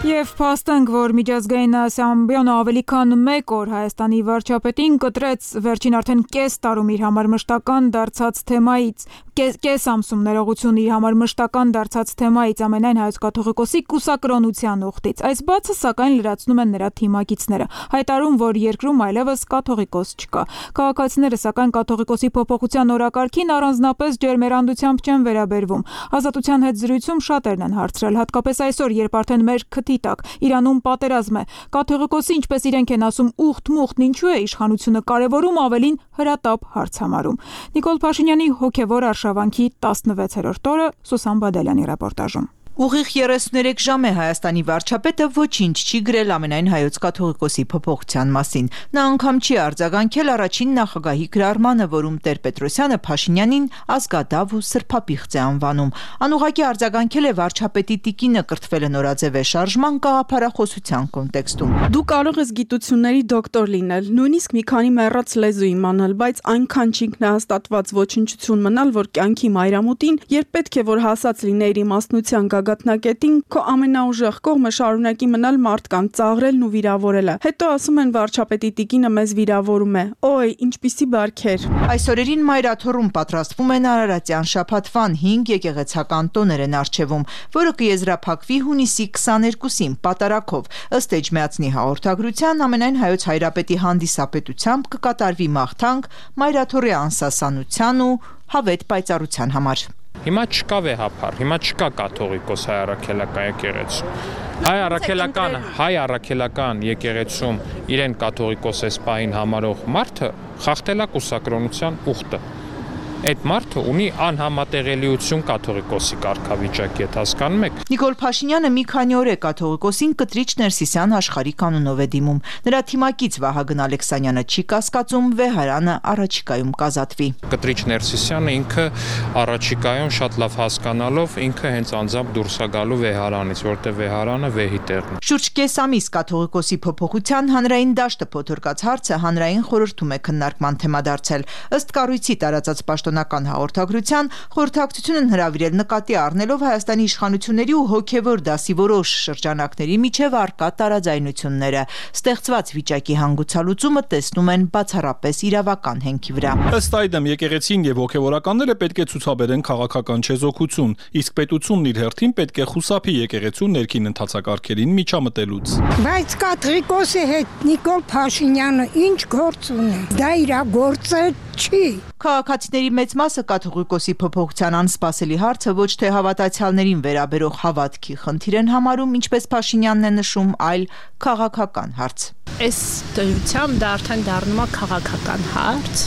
Եվ փաստենք, որ միջազգային ասամբլեան ավելի քան 1 օր Հայաստանի վարչապետին կտրեց վերջին արդեն կես տարում իր համար մշտական դարձած թեմայից, կես ամսում ներողություն իր համար մշտական դարձած թեմայից ամենայն հայոց կաթողիկոսի կուսակրոնության ուխտից։ Այս բացը սակայն լրացնում են նրա թիմակիցները, հայտարարում, որ երկրում այլևս կաթողիկոս չկա։ Քաղաքացիները սակայն կաթողիկոսի փոփոխության օրակարգին առանձնապես ջերմերանդությամբ չեն վերաբերվում։ Ազատության հետ զրույցում շատերն են հարցրել, հատկապես այսօր, երբ արդեն մեր քթի տակ Իրանում պատերազմ է։ Կաթողիկոսի, ինչպես իրենք են ասում, ուխտ-մուխտն ինչու է իշխանությունը կարևորում, ավելին հրատապ հարց համարում։ Նիկոլ Փաշինյանի հոգևոր արշավանքի 16-րդ օրը Սուսան Բադալյանի ռեպորտաժում։ Ուղիղ 33 ժամ է Հայաստանի վարչապետը ոչինչ չի գրել ամենայն հայոց կաթողիկոսի փոփոխության մասին։ Նա անգամ չի արձագանքել առաջին նախագահի գրառմանը, որում Տեր-Պետրոսյանը Փաշինյանին ազգադավ ու սրբապիղծ է անվանում։ Անուղղակի արձագանքել է վարչապետի տիկինը կրթվել է նորաձև շարժման գաղափարախոսության կոնտեքստում։ Դու կարող ես գիտությունների դոկտոր լինել, նույնիսկ մի քանի մեռած լեզու իմանալ, բայց այնքան չինքնահաստատված ոչնչություն մնալ, որ կյանքի մայրամուտին, երբ պետք է որ հասած լինեիր իմաստնության գագաթնակետին, քո ամենաուժեղ կողմը շարունակի մնալ մարդկանց ծաղրելն ու վիրավորելը։ Հետո ասում են վարչապետի տիկինը մեզ վիրավորում է։ Օй, ինչպիսի բարքեր։ Այս օրերին Մայրաթորում պատրաստվում են Արարատյան շաբաթվան 5 եկեղեցական տոներ են արչևում, որը կեզրափակվի հունիսի 22-ին պատարագով։ Ըստ Էջմիածնի հաղորդագրության ամենայն հայոց հայրապետի հանդիսապետությամբ կկատարվի մաղթանք Մայրաթորի անսասանության ու հավետ պայծառության համար։ Հիմա չկա վեհապար, հիմա չկա կաթողիկոս հայ առաքելական եկեղեցու։ Հայ առաքելական եկեղեցում իրեն կաթողիկոս էսպահին համարող մարդը խախտել է կուսակրոնության ուխտը։ Այդ մարդը ունի անհամատեղելիություն կաթողիկոսի կարգավիճակի հետ, հասկանում եք։ Նիկոլ Փաշինյանը մի քանի օր է կաթողիկոսին Կտրիչ Ներսիսյան աշխարհի կանոնով է դիմում։ Նրա թիմակից Վահագն Ալեքսանյանը չի կասկածում վեհարանը առաջիկայում կազատվի։ Կտրիչ Ներսիսյանը ինքը առաջիկայում շատ լավ հասկանալով ինքը հենց անձամբ դուրս է գալու վեհարանից, որտեղ վեհարանը վեհի տեղն է։ Շուրջ կես ամիս կաթողիկոսի փոփոխության հանրային դաշտը փոթորկած հարցը հանրային խորհրդում է քննարկման թեմա դարձել։ Ըստ կառույցի տարածած պաշտոնական հաղորդագրության խորհրդակցությունն հրավիրել նկատի առնելով Հայաստանի իշխանությունների ու հոգևոր դասի որոշ շրջանակների միջև առկա տարաձայնությունները։ Ստեղծված վիճակի հանգուցալուծումը տեսնում են բացառապես իրավական հենքի վրա։ Ըստ այդմ եկեղեցին եւ հոգևորականները պետք է ցուցաբերեն քաղաքական չեզոքություն, իսկ պետությունն իր հերթին պետք է խուսափի եկեղեցու ներքին ընթացակարգերին միջամտելուց։ Բայց կաթողիկոսի հետ Նիկոլ Փաշինյանը ինչ գործ ունի։ Դա իր գործը չի։ Քաղաքացիների մեծ մասը կաթողիկոսի փոփոխության անսպասելի հարցը ոչ թե հավատացյալներին վերաբերող հավատքի խնդիր են համարում, ինչպես Փաշինյանն է նշում, այլ քաղաքական հարց։ Այս դրությամբ դա արդեն դառնում է քաղաքական հարց։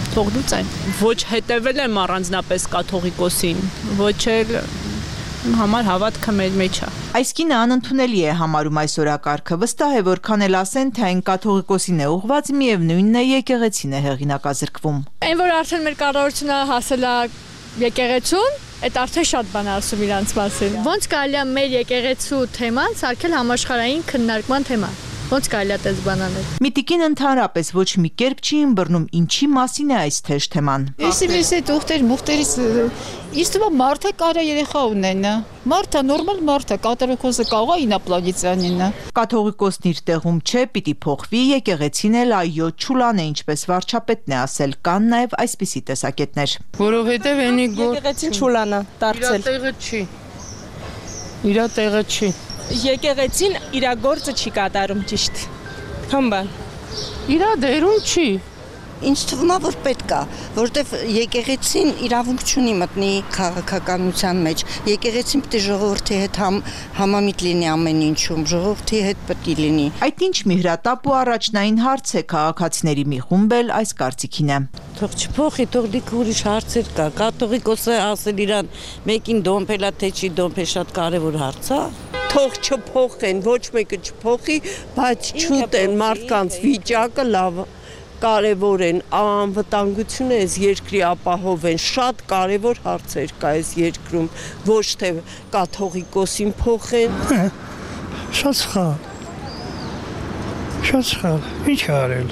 Թողնուց այն։ Ոչ հետևել եմ առանձնապես կաթողիկոսին, ոչ էլ համար հավատքը մեր մեջ է։ Այս կինը անընդունելի է համարում այս օրակարգը, վստահ է, որքան էլ ասեն, թե այն կաթողիկոսին է ուղղված, միևնույնն է եկեղեցին է հեղինակազրկվում։ Այն որ արդեն մեր կառավարությունը հասել է եկեղեցուն, այդ արդեն շատ բան ասում իրանց մասին։ Ոնց կարելի է մեր եկեղեցու թեման սարքել համաշխարհային քննարկման թեմա։ Ոնց կարելի է այդպես բան անել։ Միտիկին ընդհանրապես ոչ մի կերպ չի ըմբռնում ինչի մասին է այս թեժ թեման։ Ես այդ ուխտեր մուխտերից իսկ թվում մարդը կարա երեխա ունենա։ Մարդը նորմալ մարդը կաթողիկոսը կարող է ինապլանետյանինը։ Կաթողիկոսն իր տեղում չէ, պիտի փոխվի, եկեղեցին էլ այո չուլան է, ինչպես վարչապետն է ասել, կան նաև այսպիսի տեսակետներ։ Որովհետև այնի եկեղեցին չուլանա դարձել։ Իր տեղը չի։ Եկեղեցին իր գործը չի կատարում ճիշտ։ Քան իր դերում չի։ Ինձ թվում է, որ պետք է, որտեվ եկեղեցին իրավունք չունի մտնի քաղաքականության մեջ։ Եկեղեցին պետք է ժողովրդի հետ համամիտ լինի ամեն ինչում, ժողովրդի հետ պետք է լինի։ Այդ ինչ միհրատապ ու առաջնային հարց է, քաղաքացիների մի խումբ էլ այս կարծիքին է։ Թող չփոխի, թող դիք ուրիշ հարցեր կա։ Կաթողիկոսը ասել իրան մեկին դոմփելա թե չի դոմփել շատ կարևոր հարց է։ Թող չփոխեն, ոչ մեկը չփոխի, բայց չուտեն մարդկանց վիճակը լավ կարևոր են, անվտանգությունը այս երկրի ապահովեն, շատ կարևոր հարցեր կա այս երկրում, ոչ թե կաթողիկոսին փոխեն։ Շատ սխալ, ինչ է արել,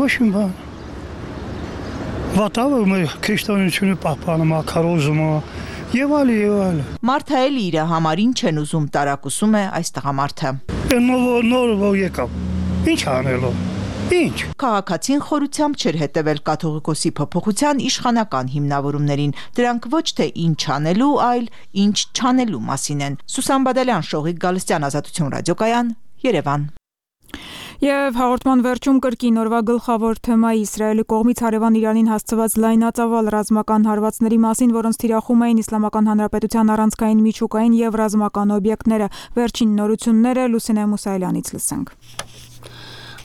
ոչ մի բան, վատավը մեր քրիստոնեությունը պահպանում, քարոզում եւ այլ։ Մարդը էլ իր համար ինչ են ուզում տարակուսում է այս տղամարդը։ Նոր եկավ։ Ինչ անելով։ Ինչ։ Քաղաքացին խորությամբ չէր հետևել կաթողիկոսի փոփոխության իշխանական հիմնավորումներին։ Դրանք ոչ թե ինչ անելու, այլ ինչ չանելու մասին են։ Սուսան Բադալյան, Շողիկ Գալստյան, Ազատություն ռադիոկայան, Երևան։ Եվ հաղորդման վերջում կրկին օրվա գլխավոր թեմայի Իսրայելի կողմից հարևան Իրանին հասցված լայնածավալ ռազմական հարվածների մասին, որոնց թիրախում էին Իսլամական Հանրապետության առանցքային միջուկային եւ ռազմական օբյեկտները։ Վերջին նորությունները Լուսինե Մուսայելյանից լսենք։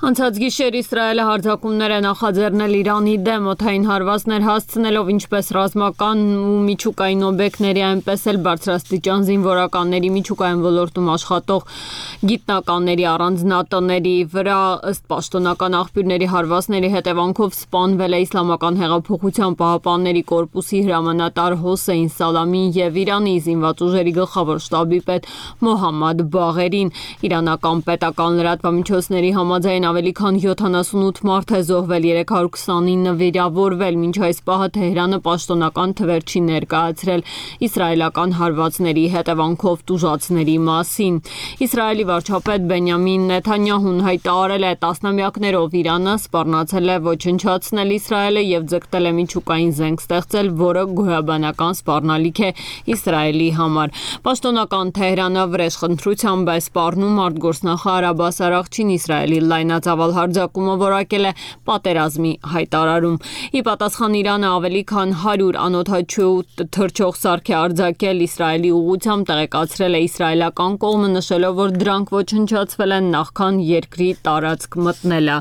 Անցած գիշեր Իսրայելը հարձակումներ է նախաձեռնել Իրանի դեմ, օդային հարվածներ հասցնելով ինչպես ռազմական ու միջուկային օբյեկտների, այնպես էլ բարձրաստիճան զինվորականների միջուկային ոլորտում աշխատող գիտնականների առանձնատների վրա, ըստ պաշտոնական աղբյուրների հարվածների հետևանքով սպանվել է Իսլամական հեղափոխության պահապանների կորպուսի հրամանատար Հոսեյն Սալամին եւ Իրանի զինված ուժերի գլխավոր շտաբի պետ Մոհամմադ Բաղերին։ Իրանական պետական լրատվամիջոցների համաձայն ավելի քան 78 մարդ է զոհվել, 329 վիրավորվել, մինչ այս պահը Թեհրանը պաշտոնական թվեր չի ներկայացրել իսրայելական հարվածների հետևանքով տուժածների մասին։ Իսրայելի վարչապետ Բենյամին Նեթանյահուն հայտարարել է տասնամյակներով Իրանը սպառնացել է ոչնչացնել Իսրայելը եւ ձգտել է միջուկային զենք ստեղծել, որը գոյաբանական սպառնալիք է Իսրայելի համար։ Պաշտոնական Թեհրանը վրեժխնդրությամբ է սպառնում արտգործնախարար Աբբաս Արաղչին Իսրայելի լայնածավալ հարձակումը որակել է պատերազմի հայտարարում։ Ի պատասխան Իրանը ավելի քան 100 անօդաչու թռչող սարք է արձակել Իսրայելի ուղղությամբ, տեղեկացրել է իսրայելական կողմը, նշելով, որ դրանք ոչնչացվել են նախքան երկրի տարածք մտնելը։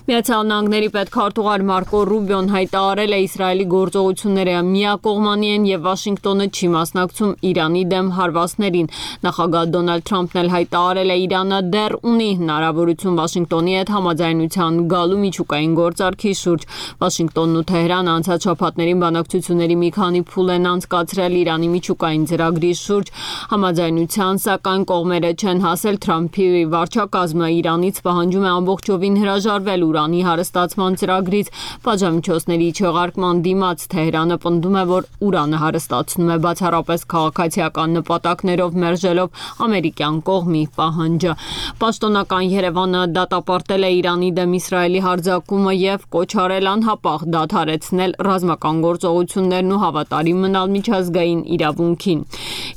Միացյալ Նահանգների պետքարտուղար Մարկո Ռուբիոն հայտարարել է Իսրայելի գործողությունները միակողմանի են եւ Վաշինգտոնը չի մասնակցում Իրանի դեմ հարվածներին։ Նախագահ Դոնալդ Թրամփն էլ հայտարարել է Իրանը դեռ ունի հնարավորություն Վաշինգտոնի հետ համաձայնության գալու միջուկային գործարքի շուրջ։ Վաշինգտոնն ու Թեհրանը անցած շաբաթներին բանակցությունների մի քանի փուլ են անցկացրել Իրանի միջուկային ծրագրի շուրջ համաձայնության, սակայն կողմերը չեն հասել։ Թրամփի վարչակազմը Իրանից պահանջում է ամբողջովին հրաժարվել ուրանի հարստացման ծրագրից պատժամիջոցների չեղարկման դիմաց։ Թեհրանը պնդում է, որ ուրանը հարստացնում է բացառապես քաղաքացիական նպատակներով, մերժելով ամերիկյան կողմի պահանջը։ Պաշտոնական Երևանը դատապարտել է Իրանի դեմ Իսրայելի հարձակումը եւ կոչ արել անհապաղ դադարեցնել ռազմական գործողություններն ու հավատարիմ մնալ միջազգային իրավունքին։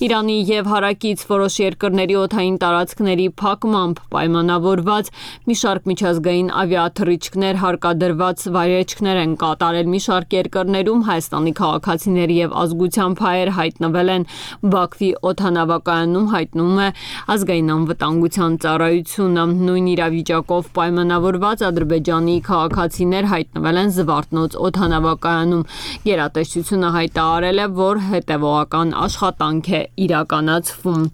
Իրանի եւ հարակից որոշ երկրների օդային տարածքների փակմամբ պայմանավորված մի շարք միջազգային ավիաթռիչքներ հարկադրված վայրեջքներ են կատարել մի շարք երկրներում։ Հայաստանի քաղաքացիների եւ ազգությամբ հայեր հայտնվել են Բաքվի օդանավակայանում, հայտնում է ազգային անվտանգության ծառայությունը։ Նույն իրավիճակով պայմանավորված ադրբեջանի քաղաքացիներ հայտնվել են Զվարթնոց օդանավակայանում։ Գերատեսչությունը հայտարարել է, որ հետևողական աշխատանք է իրականացվում։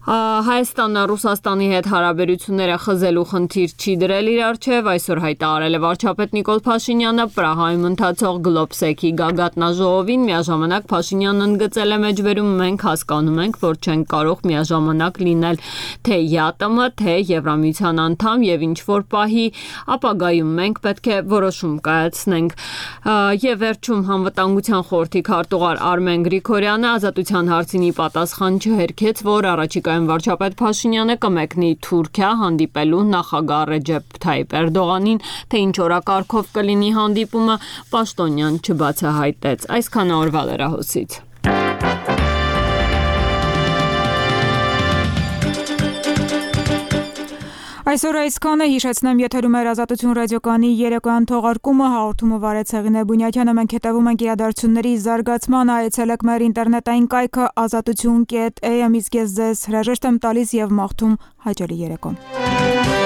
Հայաստանը Ռուսաստանի հետ հարաբերությունները խզելու խնդիր չի դրել իր առջև, այսօր հայտարարել է վարչապետ Նիկոլ Փաշինյանը Պրահայում ընթացող Գլոբսեքի գագաթնաժողովին, միաժամանակ Փաշինյանն ընդգծել է մեջբերում մենք հասկանում ենք, որ չենք կարող միաժամանակ լինել թե ԵԱՏՄ, թե Եվրամիության անդամ եւ ինչ որ պահի ապագայում մենք պետք է որոշում կայացնենք։ Եվ վերջում Անվտանգության խորհրդի քարտուղար Արմեն Գրիգորյանը ազատության հարցինի պատասխան չհերքեց, որ առաջիկա վարչապետ Փաշինյանը կմեկնի Թուրքիա հանդիպելու նախագահ Ռեջեփ Թայիպ Էրդողանին, թե ինչ օրակարգով կլինի հանդիպումը, Պաշտոնյան չբացահայտեց։ Այսքանը օրվա լրահոսից։ Այսօր այսքանը, հիշեցնեմ, եթերում էր Ազատություն ռադիոկայանի երեկոյան թողարկումը, հաղորդումը վարեց Հեղինե Բունյաթյանը, մենք հետևում ենք իրադարձությունների զարգացմանը, այցելեք մեր ինտերնետային կայքը azatutun.am, իսկ ես ձեզ հրաժեշտ եմ տալիս եւ մաղթում հաճելի երեկո։